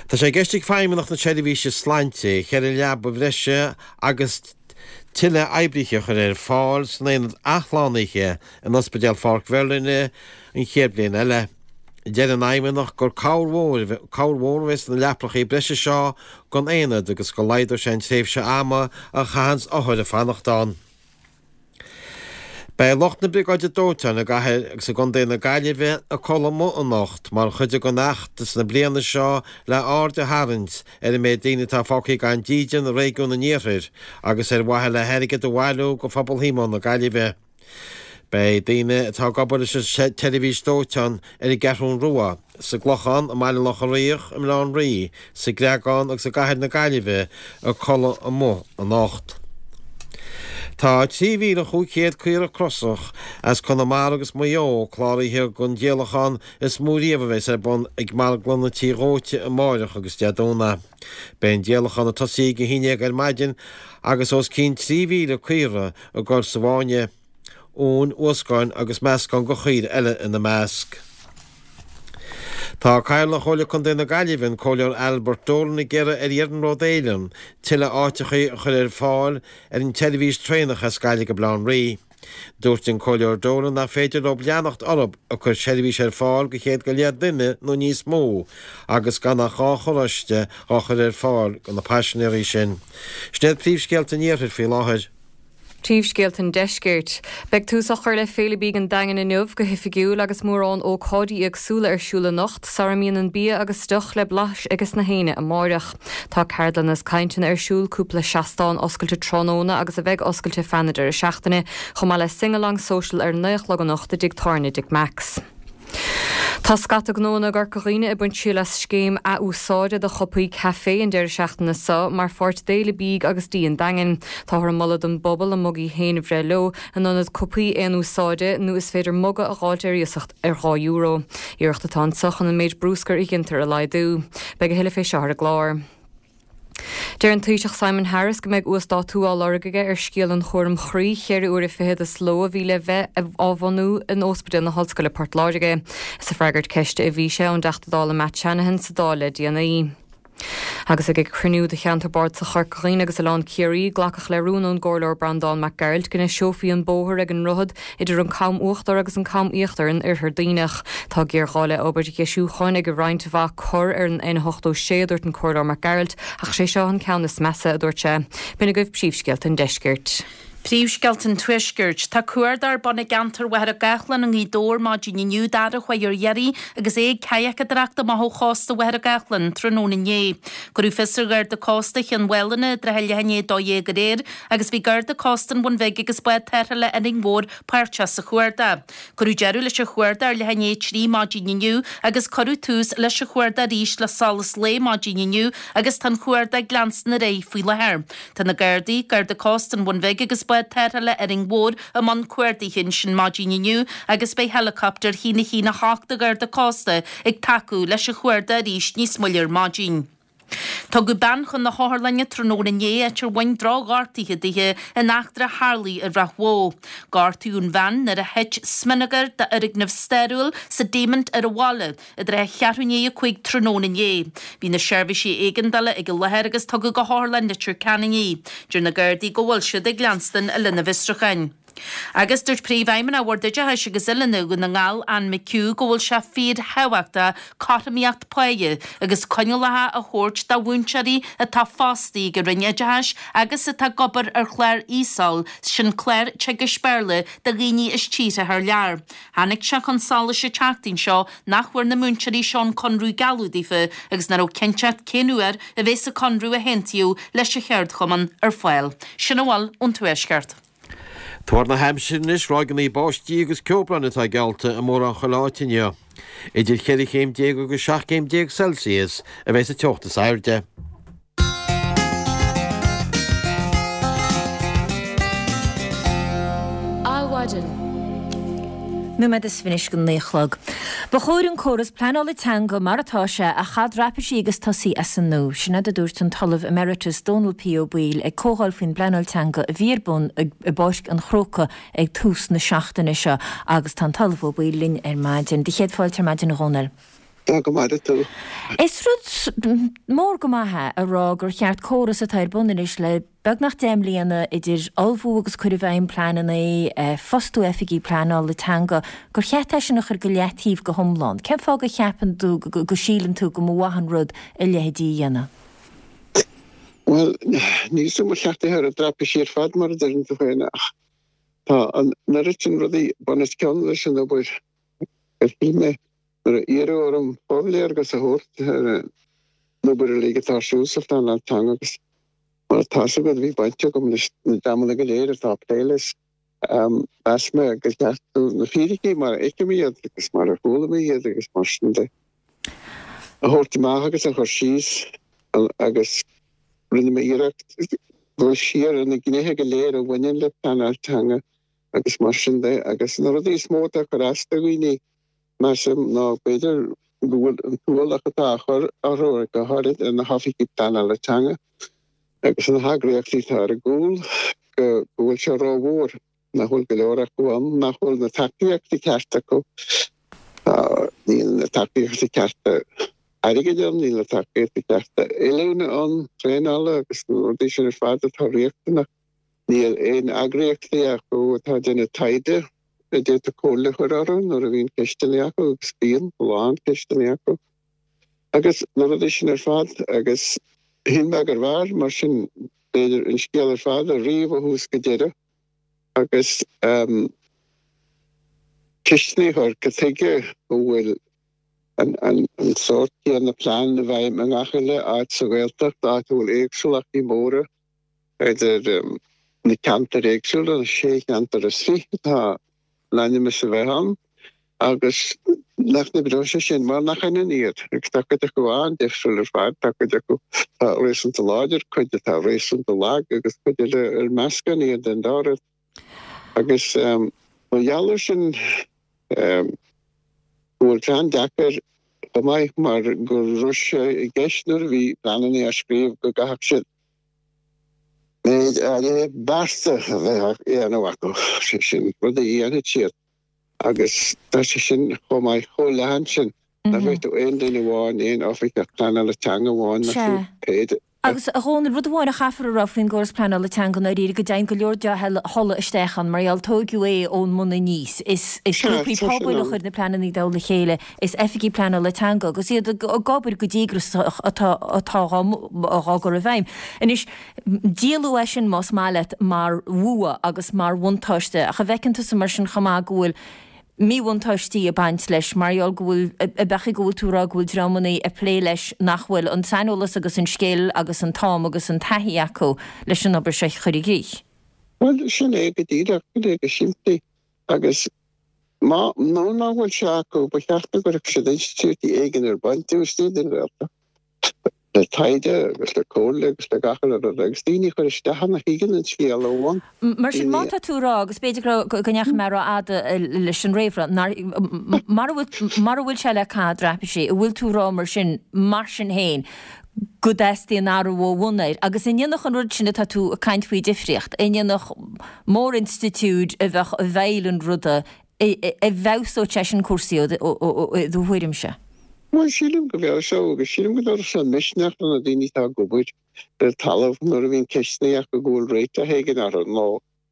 Tá sé i gceist ag Feidhmeannacht na Seirbhíse Sláinte cheithre leaba bhreise agus tuilleadh oibrithe a chur ar fáil san aonad athshlánaithe in Ospidéal Pháirc Mherlyn an chéad bhliain eile. Deir an Fheidhmeannacht gur cabhair mhór cabhair mhór a bheidh sna leapacha breise seo don aonad agus go laghdóidh sé an tréimhse ama a chaitheanns othair ag fanacht ann. Beidh lucht na Briogáide Dóiteáin i gcathair agus i gcontae na Gaillimhe ag codladh amuigh anocht mar chuid den fheachtas na bliana seo le aird a tharraingt ar an méid daoine atá fágtha gan dídean i réigiún an iarthair agus ar mhaithe le hairgead a bhailiú do Phobal Shíomóin na Gaillimhe. Beidh daoine atá ag obair leis an tseirbhís dóiteáin ar an gCeathrún Rua, sa gClochán, i mBaile Locha Riach, i mBaile Átha an Rí, sa gCreagán agus i gcathair na Gaillimhe ag codladh amuigh anocht. Tá 3,500 caora crosach as Conamara agus Maigh Eo cláraithe don díolachán is mó riamh a bheas ar bun ag Marglanna Tí Dhóite amáireach agus Dé Domhnaigh. Beidh an díolachán ag tosaí ag a haon déag ar maidin agus os cionn 3,000 caora ag dul sa bhfáinne. Uain, uascáin agus meascán de chaoirigh eile ina measc. Tá Cathaoirleach Chomhairle Contae na Gaillimhe, an Comhairleoir Albert Dolan ag iarraidh ar Iarnród Éireann tuilleadh áiteacha a chur ar fáil ar an tseirbhís traenach as Gaillimh go Baile Átha an Rí. Dúirt an Comhairleoir Dolan nach féidir leo leanacht orthu ag cur seirbhís ar fáil do chéad go leith duine nó níos mó agus gan ach 2 charráiste á chur ar fáil do na paisinéirí sin. Sin iad príomhscéalta an Iarthair faoi láthair. Príomhscéalta an Deiscirt. Beidh tús á chur le Féile Bídh an Daingin inniu go hoifigiúil agus mórán ócáidí éagsúla ar siúl anocht sara mbíonn an bia agus deoch le blaiseadh ages na héinne amáireach. Tá ceardlanna is cainteanna ar siúl, cúpla seastán oscailte tráthnóna agus a bheidh oscailte feadh na deireadh seachtaine, chomh maith le Sing-Along Social ar a 9 a chlog anocht i dTigh Tábhairne Dick Mack's. Tá scata gnóanna i gCorca Dhuibhne ag baint triail as scéim ath-úsáide do chupaí caife an deireadh seachtaine seo mar pháirt d'Fhéile Bídh agus Dí an Daingin. Táthar ag moladh don bpobal a mugaí féin a bhreith leo in ionad cupaí aon úsáide nó is féidir muga a dh'fháilt ar iasacht ar €2. Iarracht atá anseo chun an méid brúscair a ghintear a laghdú. Beidh a thuilleadh fé seo ar an gclár. Deir an Taoiseach Simon Harris go mbeidh uasdátú á lorg aige ar scéal an chúraim chroí cheithre uaire fichead sa ló a bhí le bheith á bhunú in Ospidéal na hOllscoile Port Láirge. Is ag freagairt ceiste a bhí sé ón dTeachta Dála Matt Shanahan sa Dáil le déanaí. Agus ag cruinniú de Cheantar Bardasach Chorca Dhuibhne agus Oileán Ciarraí, glacadh le rún ón gComhairleoir Breandán Mac Gearailt go ndeiseofaí an bóthar ag an ndroichead idir an Cam Uachtar agus an Cam Íochtar in Oirthear Duibhneach. Tá géarghá le obair dheisiúcháin ag roinnt mhaith cor ar an N86, a dúirt an Comhairleoir Mac Gearailt, ach sé seo an ceann is measa, a dúirt sé. B'in agaibh príomhscéalta an deiscirt. Príomhscéalta an Tuaiscirt. Tá cuardach ar bun i gceantar Mhachaire Gathlán i nGaoth Dobhair maidin inniu d'fhear a chuaigh ar iarraidh agus é ag cadhacadóireacht amach ó chósta Mhachaire Gathlán tráthnóna inné. Cuireadh fios ar Gharda Cósta Chionn Mhálanna i dtrátha leath i ndiaidh 12 aréir agus bhí Garda Cósta an Bhun Bhig agus bád tarrthála Árainn Mhór páirteach sa chuardach. Cuireadh deireadh leis an chuardach ar leath i ndiaidh 3 maidin inniu agus cuireadh tús leis an chuardach arís le solas lae maidin inniu agus tá an chuardach ag leanstan ar aghaidh faoi láthair. Tá na Gardaí, Garda Cósta an Bhun Bhig agus bád tarrthála Árainn Mhór i mbun cuardaithe ansin maidin inniu agus beidh heileacaptar 1 1 8 de Gharda Cósta ag tacú leis an chuardach arís níos moille ar maidin. Tugadh bean chun na hotharlainne tráthnóna inné áit ar bhain droch-ghortuithe dithe in eachtra a tharlaigh i Ráth Bhoth. Gortaíodh an bhean nuair a thit smionagar d'fhoirgneamh stairiúil sa Taymount ar an bhaile i dtrátha cheathrú i ndiaidh 5 tráthnóna inné. Bhí na seirbhísí éigeandála ag an láthair agus tugadh go hOtharlann Leitir Ceanainn í. Deir na Gardaí go bhfuil siad ag leanstan lena bhfiosrúcháin. Agus dúirt Príomhfheidhmeannach Bhord Oideachais agus Oiliúna Dhún na nGall, Anne McHugh, go bhfuil sé fíorthábhachtach cothromaíocht páighe agus coinníollacha a thabhairt do mhúinteoirí atá fostaithe ag an Roinn Oideachais agus atá ag obair ar chlár ESOL, sin clár teagaisc Béarla do dhaoine as tíortha thar lear. Tháinig sé chun solais an tseachtain seo nach bhfuair na múinteoirí seo an conradh a gealladh daofa agus nach raibh cinnteacht cén uair a bheas an conradh a haontaíodh leis an cheardchumann ar fáil. Sin a bhfuil ón Tuaisceart. Tuar na haimsire anois, ráigeanna báistí agus ceobhráin atá geallta i mórán chuile áit inniu. Idir cheithre chéim déag agus 17 céim Celsius a bheidh sa teocht is airde. Adhmhaidin. Nóiméad is fiche go 9 a chlog. Ba chóir an córas pleanála teanga mar atá sé a chaitheamh traipisí agus tosaí as an nua. Sin é a dúirt an tOllamh Emeritus Dónal P. Ó Baoill ag comhdháil faoin bpleanáil teanga a bhí ar bun i bPáirc an Chrócaigh ag tús na seachtaine seo agus tá an tOllamh Ó Baoill linn ar maidin. Do chéad fáilte ar maidin a Dhónaill. Tá go maith tú. Is rud mór go maith é a rá gur cheart córas atá ar bun anois le Beagnach 10 mbliana idir ullmhú agus cur i bhfeidhm pleananna, fostú oifigigh pleanála teanga, gur cheart é sin a chur go leataobh go hiomlán. Cén fáth go cheapann tú, go síleann tú go mba mhaith an rud a leithéidí a dhéanamh? Bhuel, níl 'fhios a'm ar cheart é a chur i dtraipisí ar fad, mar a deireann tú féin, ach tá an oiread sin rudaí bun os cionn leis an obair gur shíl mé nuair a iarradh orm forléargas a thabhairt ar an obair uilig atá ar siúl sa phleanáil teanga agus mar atá 'fhios agat bhí baint agam leis na dreamanna go léir atá ag plé leis. Mheas mé gur cheart domh na fíricí mar a fheicim iad agus mar a chuala mé iad agus mar sin de a thabhairt amach agus a chur síos agus rinne mé iarracht dul siar ar na gnéithe go léir a bhaineann le pleanáil teanga agus mar sin de agus na rudaí is mó atá ag cur as do dhaoine Measaim ná b'fhéidir go bhfuil an t-ualach atá á chur orthu, go háirid ar na hoifigigh pleanála teanga agus na heagraíochtaí atá ar a gcúl, go bhfuil sé rómhór, nach bhfuil go leor acu ann, nach bhfuil na tacaíochtaí cearta acu. Níl na tacaíochtaí cearta airgid ann, níl na tacaíochtaí cearta oiliúna ann, traenála agus na rudaí sin ar fad atá riachtanach. Níl aon eagraíochtaí acu atá ag déanamh taighde a d'fhéadfadh comhairle a chur orthu nuair a bhíonn ceisteanna acu, agus bíonn a lán ceisteanna acu, agus na rudaí sin ar fad. Agus shíl mé gurbh fhearr mar sin, b'fhéidir, an scéal ar fad a ríomh ó thús go deireadh agus ceisteanna a chur, cad chuige a bhfuil an sórt céanna plean i bhfeidhm i ngach uile áit sa Ghaeltacht, áit a bhfuil éagsúlachtaí móra idir na ceantair éagsúla, na sé cheantar is fiche atá in ainm is a bheith ann, agus nach n-oibreoidh sé sin, mar nach ionann iad, agus tá cuid acu an-difriúil ar fad, tá cuid acu atá réasúnta láidir, cuid atá réasúnta lag agus cuid eile ar meascán iad den dá rud. Agus mar gheall air sin, go bhfuil sé an-deacair chomh maith mar go raibh sé i gceist nuair a bhí pleananna á scríobh go gcaithfeadh siad méid áirithe bearta a bheith á dhéanamh acu, sé sin, rudaí a dhéanfaidh siad agus tá sé sin chomh maith chomh leathan sin nach bhféadfadh aon duine amháin, aon oifigeach pleanála teanga amháin, ná fiú pé Agus, a Dhónaill, rud amháin a chaithfear a rá faoin gcóras pleanála teanga i ndáiríre, go dteigheann go leor dea-thola isteach ann, mar gheall, tóigeadh é ón mbun aníos. Is grúpaí pobail a chuir na pleananna i dtoll a chéile, is oifigigh pleanála teanga, agus iad ag obair go díograiseach atá atá dhá gcur i bhfeidhm. Anois, díoladh é sin, más maith leat, mar bhua agus mar bhuntáiste, ach an bhfeiceann tusa mar sin chomh maith go bhfuil míbhuntáistí ag baint leis mar gheall go bhfuil, ab ea go bhfuil tú ag rá go bhfuil dreamanna ag plé leis nach bhfuil an saineolas agus an scil agus an t-am agus an taithí acu leis an obair seo a chur i gcrích? Bhuel, sin é go díreach, sin é go simplí. Agus má, nó nach bhfuil sé acu, ba cheart go gcuirfeadh siad institiúidí éigin ar bun taobh istigh den Ghaeltacht. le taighde agus le comhairle agus le gach uile rud agus daoine a chur isteach ann a thuigeann an scéal ó bhun. Mar sin, má tá tú ag rá, agus b'fhéidir go raibh, go ndeachaigh mé rófhada leis an réamhrá, nár, mara bhfuil, mara bhfuil sé le caitheamh i dtraipisí, an bhfuil tú ag rá mar sin, mar sin féin, go dteastaíonn athrú ó bhun air? Agus an ndéanfadh an rud sin atá tú ag caint faoi difríocht? An ndéanfadh mórinstitiúid a bheadh i bhfeighil an ruda an bhfeabhsódh sé sin cúrsaí i do thuairimse? Bhuel, sílim go bhfeabhsódh agus sílim go dtabharfadh sé misneach do na daoine atá ag obair ar talamh nuair a bhíonn ceisteanna acu go bhfuil réiteach éigin orthu nó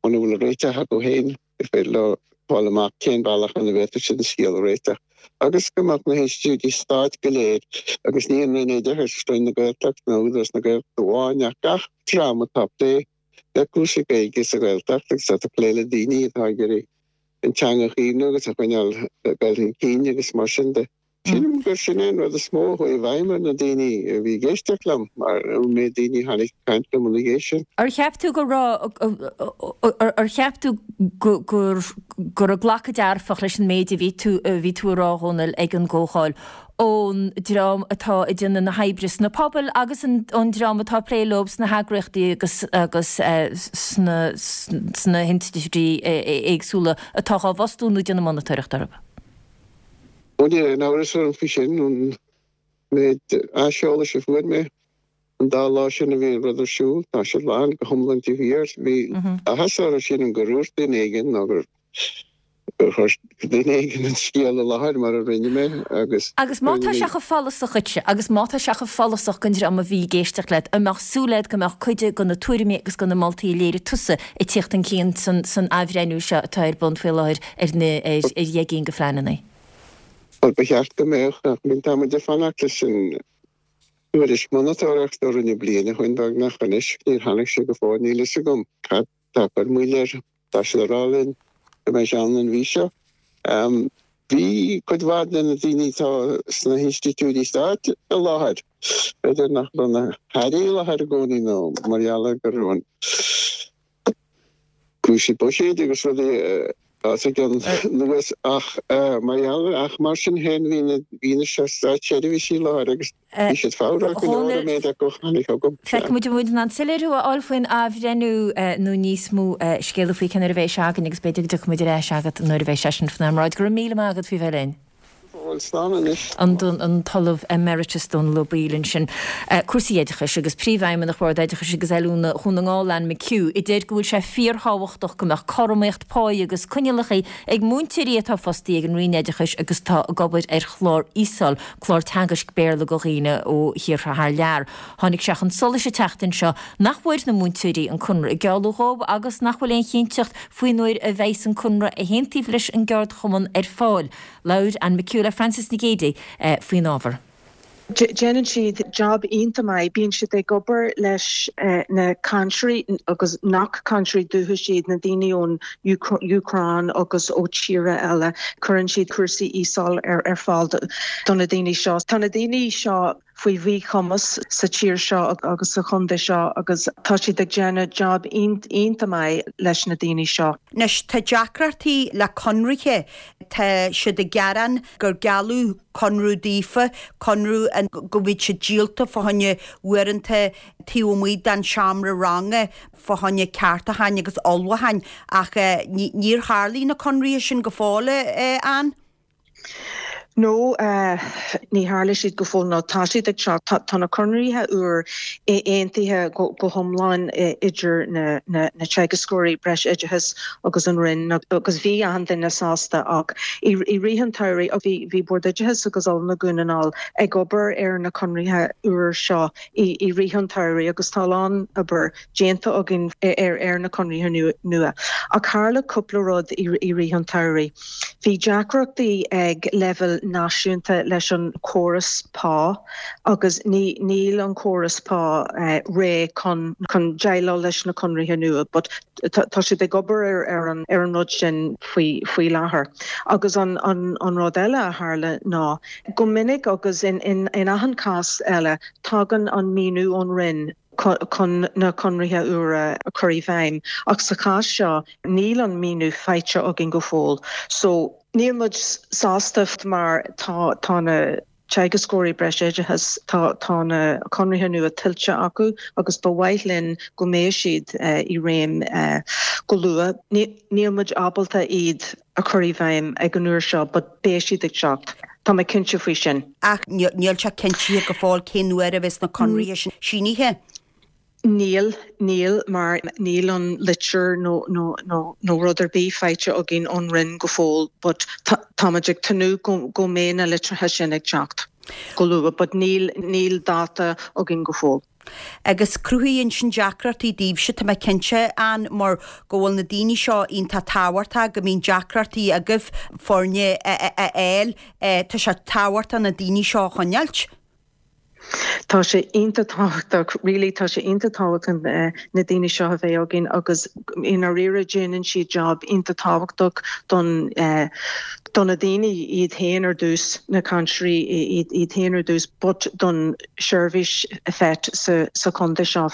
muna bhfuil réiteach acu féin gur féidir leo fáil amach cén bealach ina bhféadfadh siad an scéal a réiteach agus go mbeadh na hinstitiúidí stáit go léir agus ní an Roinn Oideachais, Roinn na Gaeltachta nó Údarás na Gaeltachta amháin ach gach dream atá ag plé le cúrsaí Gaeilge sa Ghaeltacht agus atá ag plé le daoine atá ag iarraidh an teanga a chaomhnú agus a choinneáil ag dul chun cinn agus mar sin de. Sílim gur sin é an rud is mó a chuaigh i bhfeidhm ar na daoine a bhí ag éisteacht liom, mar an méid daoine a tháinig ag caint liom ina dhiaidh sin. Ar cheap tú go raibh, ar cheap tú go go raibh glacadh dearfach leis an méid a bhí tú, a bhí tú a rá, a Dhónaill, ag an gcomhdháil, ón dream atá ag déanamh na hoibre sna pobail agus ón dream atá ag plé leo sna heagraíochtaí agus agus sna sna hinstitiúidí éagsúla atá á bhfostú nó ag déanamh monatóireacht orthu? Ó níl aon amhras orm faoi sin, ón méid aiseolais a fuair mé an dá lá sin a bhí an rud ar siúl, tá siad lán go hiomlán taobh thiar. Bhí áthas orthu, sílim, gur dhúirt duine éigin nó gur chuir duine éigin an scéal i láthair mar a rinne mé agus. Agus má tá sé chomh follasach dhuitse, agus má tá sé chomh follasach don dream a bhí ag éisteacht leat, an mbeadh súil agat go mbeadh cuid de na tuairimí agus de na moltaí a léirigh tusa ag tíocht chun cinn san athbhreithniú seo atá ar bun faoi láthair ar na ar dheich gcinn de phleananna. Bhuel, ba cheart go mbeadh, ach tá muid ag fanacht leis an tuairisc monatóireachta a rinneadh bliain ó shin beagnach anois. Níor tháinig sé go fóill, níl fhios agam cad tá ag cur moill air. Tá siad ag rá linn go mbeidh sé ann an mhí seo. Bhí cuid mhaith de na daoine atá sna hinstitiúidí stáit i láthair. B'fhéidir nach raibh na hairí i láthair i gcónaí nó mar gheall ar go raibh an cúrsaí buiséid agus rudaí os a gcionn anuas ach mar gheall ach mar sin féin bhí na daoine seo státseirbhísigh i láthair agus bhí siad fabhrach go leor an méid acu a tháinig chugam. Feicfidh muid an bhfuil muid in ann soiléiriú a fháil faoin athbhreithniú nó níos mó scéala faoi cén uair a bheidh sé againn agus b'fhéidir go dtiocfaidh muid ar ais agat nuair a bheidh sé sin faoinár mbráid. Go raibh míle maith agat faoi bheith linn. Bhuel, slán anois. An tOllamh Emeritus Dónal Ó Baoill ansin. Cúrsaí oideachais agus Príomhfheidhmeannach Bhord Oideachais agus Oiliúna Dhún na nGall, Anne McHugh, a deir go bhfuil sé fíorthábhachtach go mbeadh cothromaíocht páí agus coinníollacha ag múinteoirí atá fostaithe ag an Roinn Oideachais agus atá ag obair ar chlár ESOL, clár teagaisc Béarla do dhaoine ó thíortha thar lear. Tháinig sé chun solais an tseachtain seo nach bhfuair na múinteoirí an conradh a gealladh dhóibh agus nach bhfuil aon chinnteacht faoin uair a bheidhs an conradh a haontaíodh leis an gceardchumann ar fáil. Labhair Anne McHugh le Frances Nic Géadaigh faoin ábhar. Déanann siad job iontach maith. Bíonn siad ag obair leis na cainteoirí agus nach cainteoirí dúchais iad, na daoine ón Úcráin agus ó tíortha eile. Cuireann siad cúrsaí ESOL ar fáil do na daoine seo. Tá na daoine seo faoi mhíchumas sa tír seo agus sa chontae seo agus tá siad ag déanamh job iontach maith leis na daoine seo. Anois, tá deacrachtaí le conraithe. Tá siad ag gearán gur gealladh conradh daofa, conradh an go mbeadh siad díolta fá choinne uaireanta taobh amuigh den seomra ranga fá choinne ceartúcháin agus ullmhúcháin ach níor tharlaigh na conraithe sin go fóill, a Anne. No, ní tharla siad go fóill nó tá siad ag teacht. Tá na conraithe úr aontaithe go hiomlán idir na teagascóirí breisoideachais agus an Roinn agus bhí achan duine sásta ach i rith an tsamhraidh bhí Bord Oideachais agus Oiliúna Dhún na nGall ag obair ar na conraithe úr seo i rith an tsamhraidh agus tá a lán obair déanta againn ar na conraithe nua. Ach tharla cúpla rud i rith an tsamhraidh. Bhí deacrachtaí ag leibhéal náisiúnta leis an chóras pá agus níl an córas pá réidh chun déileáil leis na conraithe nua but tá siad ag obair ar an rud sin faoi láthair. Agus an rud eile a tharla ná go minic agus in achan chás eile tagann an maoiniú ón Roinn chun na conraithe úra a chur i bhfeidhm ach sa chás seo níl an maoiniú faighte againn go fóill so níl muid sásta mar tá tá na teagascóirí breisoideachais tá tá na conraithe nua tuillte acu agus ba mhaith linn go mbeadh siad i réim go luath. Níl muid ábalta iad a chur i bhfeidhm ag an uair seo but beidh siad ag teacht. Tá mé cinnte faoi sin. Ach níl sé cinntithe go fóill cén uair a bheas na conraithe sin sínithe. Níl, níl, mar níl an litir nó nó nó nó rud ar bith faighte againn ón Roinn go fóill but tá táimid ag tnúth go go mbeidh na litreacha sin ag teacht go luath but níl níl dáta againn go fóill. Agus cruthaíonn sin deacrachtaí daoibhse, tá mé cinnte, Anne, mar go bhfuil na daoine seo iontach tábhachtach, go mbíonn deacrachtaí agaibh foirne a fháil, tá sé tábhachtach na daoine seo a choinneáilt. Tá sé iontach tábhachtach, really, tá sé iontach tábhachtach na daoine seo a bheith againn agus i ndáiríre déanann siad job iontach tábhachtach don do na daoine iad féin ar dtús, na cainteoirí iad féin ar dtús but don seirbhís FET sa sa chontae seo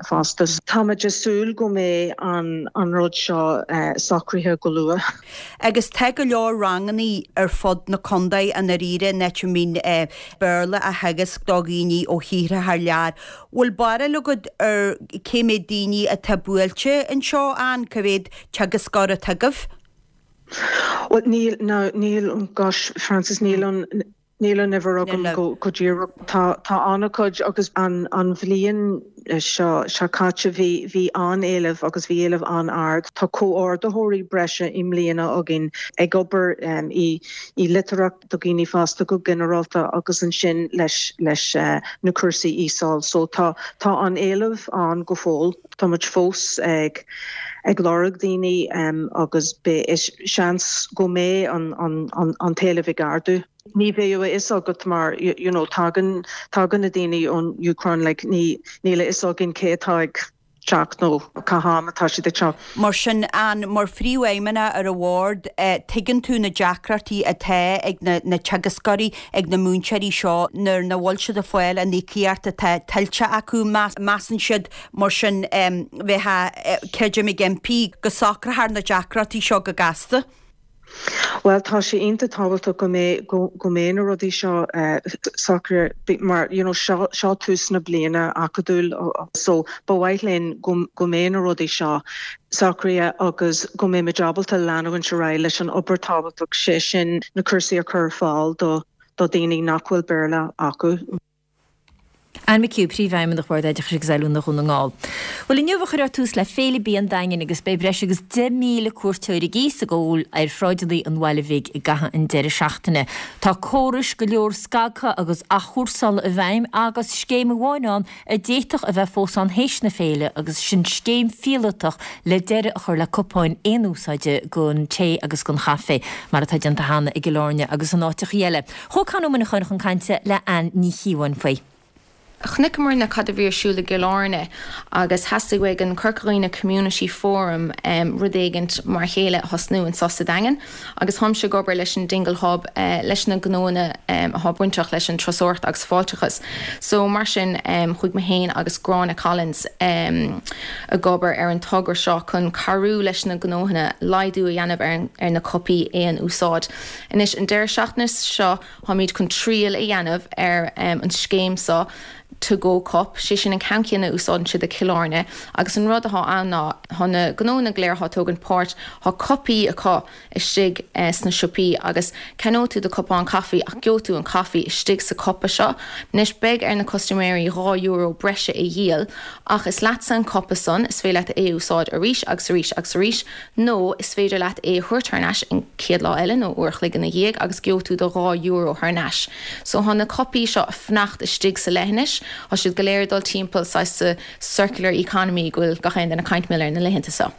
fosta. Táimid ag súil go mbeidh an an rud seo socraithe go luath. Agus tá go leor rangannaí ar fud na contae i ndáiríre in áit a mbíonn Béarla á theagasc do dhaoine ó thíortha thar lear. Bhfuil barúil agat ar cé mhéad daoine atá buailte anseo ann, cá mhéad teagascóir atá agaibh? Bhuel níl, no, níl, gosh, Frances, níl an, Níl an uimhir agam go díreach. Tá tá an-chuid agus an an bhliain seo seo caite bhí bhí an-éileamh agus bhí éileamh an-ard. Tá comhordaitheoirí breise i mbliana againn ag obair i i litearthacht do dhaoine fásta go ginearálta agus ansin leis leis na cúrsaí ESOL. So tá tá an éileamh ann go fóill. Tá muid fós ag ag lorg daoine agus beidh seans go mbeidh an an an t-éileamh ag ardú. Ní bheadh a fhios agat mar you know tagann tagann na daoine ón Úcráin like ní níl a fhios againn cé atá ag teacht nó cá ham atá siad ag teacht. Mar sin, Ann, mar phríomhfheidhmeannach ar an bhord, tuigeann tú na deacrachtaí atá ag na na teagascóirí, ag na múinteoirí seo nuair nach bhfuil siad ag fáil an íocaíocht atá tuillte acu. Measann siad Mar sin, bheifeá, creidim, ag impí go socrófar na deacrachtaí seo go gasta. Bhuel, tá sé iontach tábhachtach go mbeidh, go mbeidh na rudaí seo socraithe mar, you know, seo, seo tús na bliana acadúil so ba mhaith linn go, go mbeidh na rudaí seo socraithe agus go mbeimid ábalta leanúint ar aghaidh leis an obair tábhachtach, sé sin na cúrsaí a chur ar fáil do, do dhaoine nach bhfuil Béarla acu. Ann McHugh, Príomhfheidhmeannach Bhord Oideachais agus Oiliúna Dhún na nGall. Bhuel, inniu a chuirfear tús le Féile Bia an Daingin agus beidh breis agus 10,000 cuairteoir ag ithe is ag ól ar shráideanna an bhaile bhig i gcaitheamh an deireadh seachtaine. Tá córais go leor scagtha agus athchúrsála i bhfeidhm agus scéim amháin ann a d'fhéadfadh a bheith fós ann théis na féile agus sin scéim phíolótach le deireadh a chur le cupáin aon úsáide don tae agus don chaife mar atá déanta cheana i gCill Airne agus in áiteachaí eile. Chuaigh Con Ó Muineacháin chun cainte le Ann Ní Chíobháin faoi. Chonaiceamarna cad a bhí ar siúl i gCill Airne agus theastaigh uaidh an Corca Dhuibhne Community Forum rud éigint mar a chéile a thosnú anso sa Daingean agus tháimse ag obair leis an Dingle Hub leis na gnóanna athá bainteach leis an turasóireacht agus fáilteachas so mar sin chuaigh mé féin agus Gráinne Collins ag obair ar an togra seo chun cabhrú leis na gnóthanna laghdú a dhéanamh ar na cupaí aon úsáid. Anois, an deireadh seachtaine seo, táimid chun triail a dhéanamh ar an scéim seo, To Go Cup, sé sin an ceann céanna a úsáideann siad i Cill Airne, agus an rud athá ann ná, thá na gnóanna go léir athá ag tógaint páirt, thá cupaí acu istigh sna siopaí agus ceannóidh tú do cupán caife ach gheobhaidh tú an caife istigh sa cupa seo. Anois, beidh ar na custaiméirí €2 breise a dhíol ach is leatsa an cupa san, is féidir leat é a úsáid arís agus arís agus arís, Nó is féidir leat é a thabhairt thar n-ais an chéad lá eile nó uair a chloig ina dhiaidh agus gheobhaidh tú do €2 thar n-ais. So thá na cupaí seo ag fanacht istigh sa leithinis, thá siad go léir ag dul timpeall saghas sa circular economy go bhfuil gach aon duine ag caint mar gheall air na laethanta seo.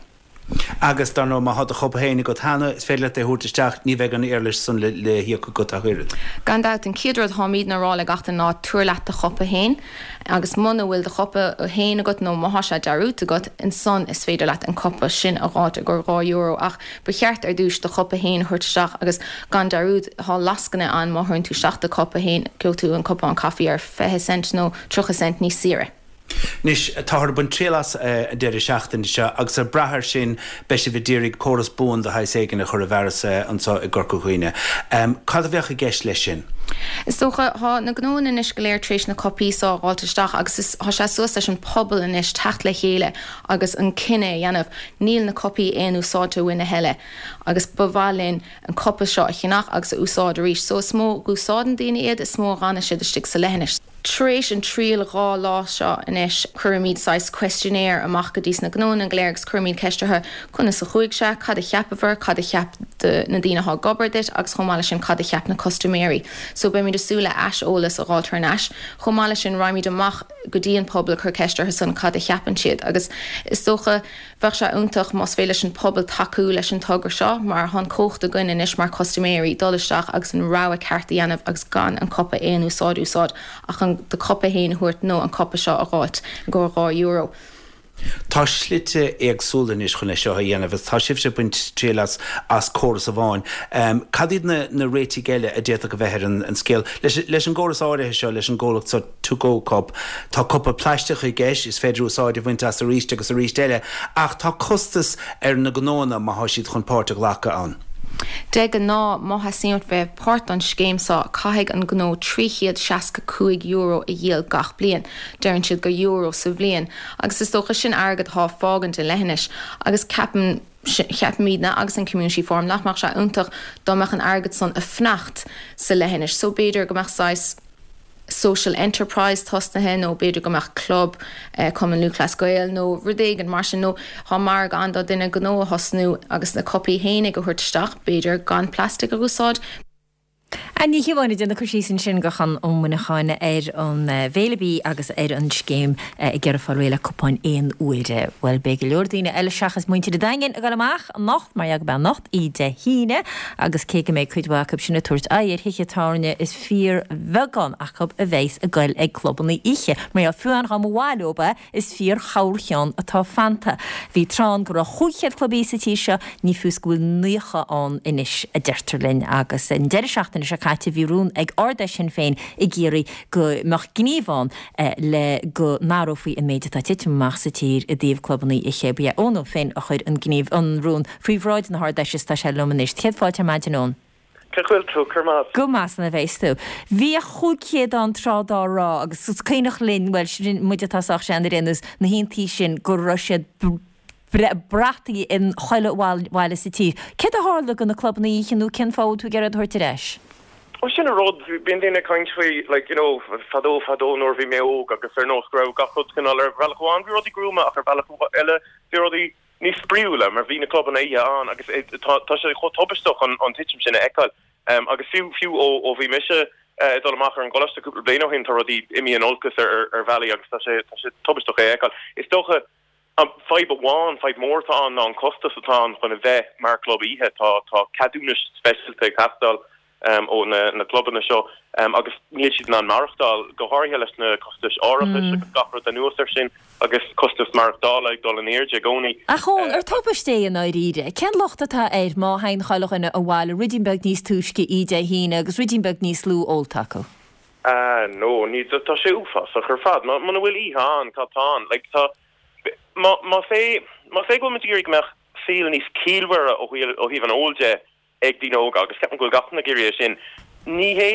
Agus dar ndóigh má thá do chupa féin agat cheana, is féidir leat é a thabhairt isteach, ní bheidh an éarlais san le híoc agat ach oiread. Gan dabht, an chéad rud tháimídne a rá le gach duine ná tabhair leat do chupa féin. Agus muna bhfuil do chupa féin agat nó má thá sé dearúdta agat, ansan is féidir leat an cupa sin a dh'fháilt i gcomhair €2 ach ba cheart ar dtúis do chupa féin a thabhairt isteach agus gan dearúd thá lascaine ann má thabhaireann tú isteach do chupa féin gheobhaidh tú an cupán caife ar 20 cent nó 30 cent níos saoire. Anois, táthar ag baint triail as an deireadh seachtaine seo agus ag brath air sin beidh sibh ag d'iarraidh córas buan de shaghas éigin a chur i bhfearas anseo i gCorca Dhuibhne. Cad a bheadh i gceist leis sin? Is dócha, thá na gnóanna anois go léir tar éis na cupaí so a dh'fháilt isteach agus is, thá sé suas leis an pobal anois teacht le chéile agus an cinneadh a dhéanamh, níl na cupaí aon úsáidte uainn a thuilleadh agus ba mhaith linn an cupa seo a cheannach agus a úsáid arís. So is mó dh'úsáideann daoine iad, is mó a dh'fhanann siad istigh sa leithinis. Tar éis an triail 2 lá seo anois, cuirimid saghas questionnaire amach go dtí sna gnóanna go léir agus cuirimid ceist orthu, conas a chuaigh sé, cad a cheapabhair, cad a cheap na daoine athá ag obair duit agus chomh maith leis sin cad a cheap na custaiméirí. So beimid ag súil le aiseolas a dh'fháilt thar n-ais. Chomh maith leis sin raghaimid amach. go dtí an pobal ag cur ceist orthu san cad a cheapann siad agus is dócha bheadh sé iontach más féidir leis an pobal tacú leis an togra seo mar tá an cumhacht againn anois mar custaiméirí dul isteach agus an rogha ceart a dhéanamh agus gan an cupa aon úsáid a úsáid ach an do cupa fhéin a thabhairt nó an cupa seo a dh'fháilt i gcomhair 2 euro. Tá slite éagsúla anois chun é seo a dhéanamh agus tá sibhse ag baint triail as as córas amháin. Cad iad na na réitigh eile a d'fhéadfadh a bheith ar an scéal? Leis leis an gcóras áirithe seo, leis an gcomhlacht seo To Go Cup, tá cupa plaisteach i gceist, is féidir úsáid a bhaint as arís agus arís eile, ach tá costas ar na gnóanna má thá siad chun páirt a ghlacadh ann. De ghnáth, má theastaíonn uait bheith páirt don scéim seo, caithfidh an gnó €365 a dhíol gach bliain. Deireann siad gur euro sa bhliain, agus is dócha sin airgead atá ag fágaint an leithinis, agus ceapaim, ceapaimidne agus an Community Forum nach mbeadh sé iontach dá mbeadh an airgead san ag fanacht sa leithinis, so b'fhéidir go mbeadh saghas social enterprise tosnaithe nó b'fhéidir go mbeadh club, Cumann Lúthchleas Gael nó rud éigin mar sin nó tá margadh ann do duine gnó a thosnú agus na cupaí fhéinig a thabhairt isteach, b'fhéidir gan plastic a úsáid. Anne Ní Chíobháin ag déanamh cur síos ansin do Chonn Ó Muineacháin ar an bhFéile Bídh agus ar an scéim ag iarraidh fáil réidh le cupáin aon uaire. Bhuel, beidh go leor daoine eile seachas muintir an Daingin ag dul amach anocht, mar gheall gurb é anocht Dé hAoine, agus cé go mbeidh cuid mhaith acu sin ag tabhairt aghaidh ar thithe tábhairne, is fíorbheagán acu a bheas ag goil ag clubanna oíche. Mar gheall, fiú amháin dá mba mhaith leob é, Is fíor-chorrcheann atá fanta. Bhí tráth ann go raibh 500 club oíche sa tír seo, ní fiú is go bhfuil 90 ann anois, a deirtear linn. Agus an deireadh seachtaine seo caite bhí rún ag Ard-Fheis Shinn Féin ag iarraidh go mbeadh gníomh ann le go n-athrófaí an méid atá ag titim amach sa tír i dtaobh clubanna oíche. Ba é Eoin Ó Finn a chuir an gníomh, an rún faoi bhráid na hArd-Fheise is tá sé liom anois. Céad fáilte ar maidin, Eoin. Cén chaoi a bhfuil tú? Go raibh maith. Go maith san a bheas tú. Bhíodh 500 ann tráth dá raibh agus is cuimhneach linn, bhuel, sin muid atá sách sean ar aon nós, na haontaí sin go raibh siad brataithe in chuile bhaile sa tír. Céard a tharla do na clubanna oíche nó cén fáth a bhfuil tú ag iarraidh iad a thabhairt ar ais? Bhuel sin an rud, bíonn daoine ag caint faoi like you know fadó fadó nuair a bhí mé óg agus ar nós go raibh gach rud cineál ar bhealach amháin bhí rudaí gruama ach ar bhealach eile bhí rudaí níos spraíúla mar bhí na clubanna oíche ann agus tá sé chomh tubaisteach an titim sin a fheiceáil. Agus fiú fiú ó bhí mise ag dul amach ar an gcoláiste cúpla bliain ó shin tá rudaí imithe in olcas ar ar bhealaí agus tá sé tá sé tubaisteach é a fheiceáil. Is dócha an fadhb amháin, fadhb mór atá ann ná an costas atá ann chun a bheith mar chlub oíche. Tá tá ceadúnais speisialta ag teastáil ó na clubanna seo agus níl siad in ann maireachtáil, go háirithe leis na costais árachais agus gach rud anuas air sin agus costas maireachtála ag dul in airde i gcónaí. Ach Eoin, ar tubaiste é i ndáiríre? Cén locht atá air má théann chuile dhuine abhaile ruidín beag níos túisce oíche Dé hAoine agus ruidín beag níos lú ólta acu? Ah no, ní, tá sé uafásach ar fad. Muna bhfuil oíche ann, cad tá ann? Like, tá, más é, más é go bhfuil muid ag iarraidh go mbeadh saol níos ciallmhaire ó thaobh an óil de, ag daoine óga agus ceapaim go bhfuil gach duine ag iarraidh é sin. Ní hé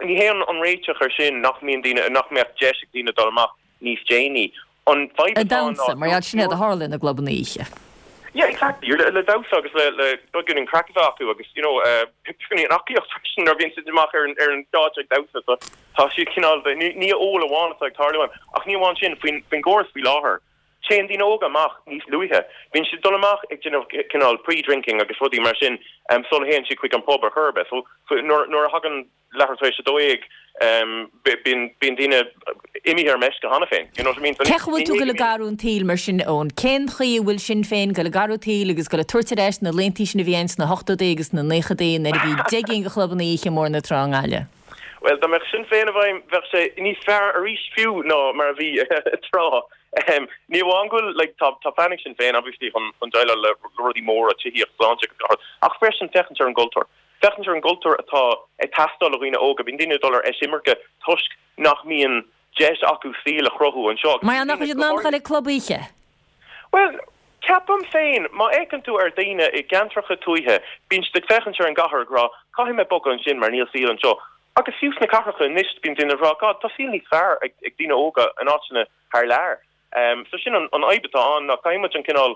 ní hé an réiteach ar sin nach mbíonn daoine nach mbeadh deis ag daoine dul amach níos déanaí. An fhadhb atá ann ná mar gheall sin é a tharla ina gclubanna oíche. Yeah, exactly. Le le damhsa agus le le beagáinín craic a bheith acu agus you know beagáinín aclaíocht freisin nuair a bhíonn siad amach ar an ar an stáitse ag damhsa so tá siad cineál ní ní ól amháin atá ag tarlú ann ach ní amháin sin faoin faoin gcóras faoi láthair Téann daoine óga amach níos luaithe. Bíonn siad ag dul amach ag déanamh cineál pre-drinking agus rudaí mar sin sula théann siad chuig an pub ar chor ar bith. So nuair a thagann leathuair tar éis 12 bíonn bíonn daoine imithe ar meisce cheana féin. You know what I mean? So Cén chaoi a bhfuil tú ag dul ag athrú an tsaoil mar sin, Eoin? Cén chaoi a bhfuil Sinn Féin ag dul ag athrú an tsaoil agus ag dul ag tabhairt ar ais na laethanta sin a bhí ann sna hochtóidí agus sna naochadaí nuair a bhí 10 gcinn de chlubanna oíche i mBóthar na Trá i nGaillimh? Bhuel, dá mbeadh Sinn Féin i bhfeidhm, bheadh sé níos fearr arís fiú ná mar a bhí tráth. Ní amháin go bhfuil, like, tá, tá plean ag Sinn Féin, obviously, chun, chun déileáil le rudaí móra, tithíocht, sláinte agus gach rud, ach freisin féachaint ar an gcultúr. Féachaint ar an gcultúr atá ag teastáil ó dhaoine óga. Bíonn daoine ag dul ar eisimirce toisc nach mbíonn deis acu saol a chruthú anseo agus Mar gheall nach bhfuil siad in ann a dhul ag club oíche. Bhuel, ceapaim féin, má fhéachann tú ar dhaoine i gceantracha tuaithe, bíonn siad ag féachaint ar an gcathair ag rá, 'Caithfidh mé bogadh ansin mar níl saol anseo. Agus fiú sna cathracha anois, bíonn daoine ag rá, 'God, tá saol níos fearr ag daoine óga in áiteanna thar lear. So sin an fhadhb atá ann, ná caithfidh muid an cineál,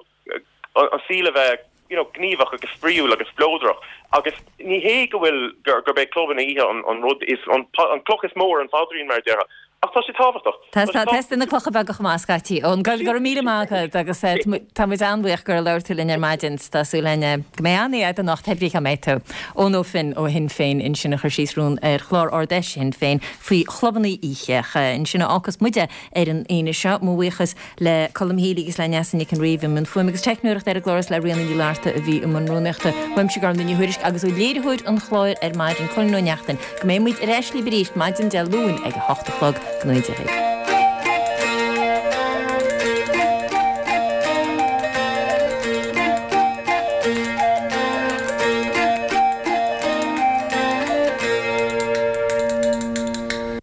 an saol a bheith, you know, gníomhach agus spraíúil agus spleodrach. Agus ní hé go bhfuil, gurb é clubanna oíche an rud is, an chloch is mó ar an phaidrín, mar a déarfá. Ach tá sé tábhachtach. Tá sé na clocha beaga chomh maith scaití. Eoin, go raibh míle maith agat agus tá muid an-bhuíoch gur labhair tú linn ar maidin. Tá súil againn go mbeidh an-oíche agat anocht, pé brí cá mbeidh tú. Eoin Ó Finn ó Shinn Féin ansin a chuir síos rún ar chlár Ard Fheis Shinn Féin faoi chlubanna oíche. Ansin a fhágfas muide ar an Aoine seo. Mo bhuíochas le Colm Healy agus le Neasa Nic an Rí a bhí i mbun fuaime agus teicneoireachta ar an gclár is le Ríona Ní Fhlatharta a bhí i mbun rúnaíochta. Uaimse Gormlaith Ní Thuairisg agus ó léiritheoir an chláir ar maidin, Colin Ó Neachtain, Go mbeidh muid ar ais libh arís maidin Dé Luain ag a hocht a chlog. Go ngnóthaí Dia dhaoibh.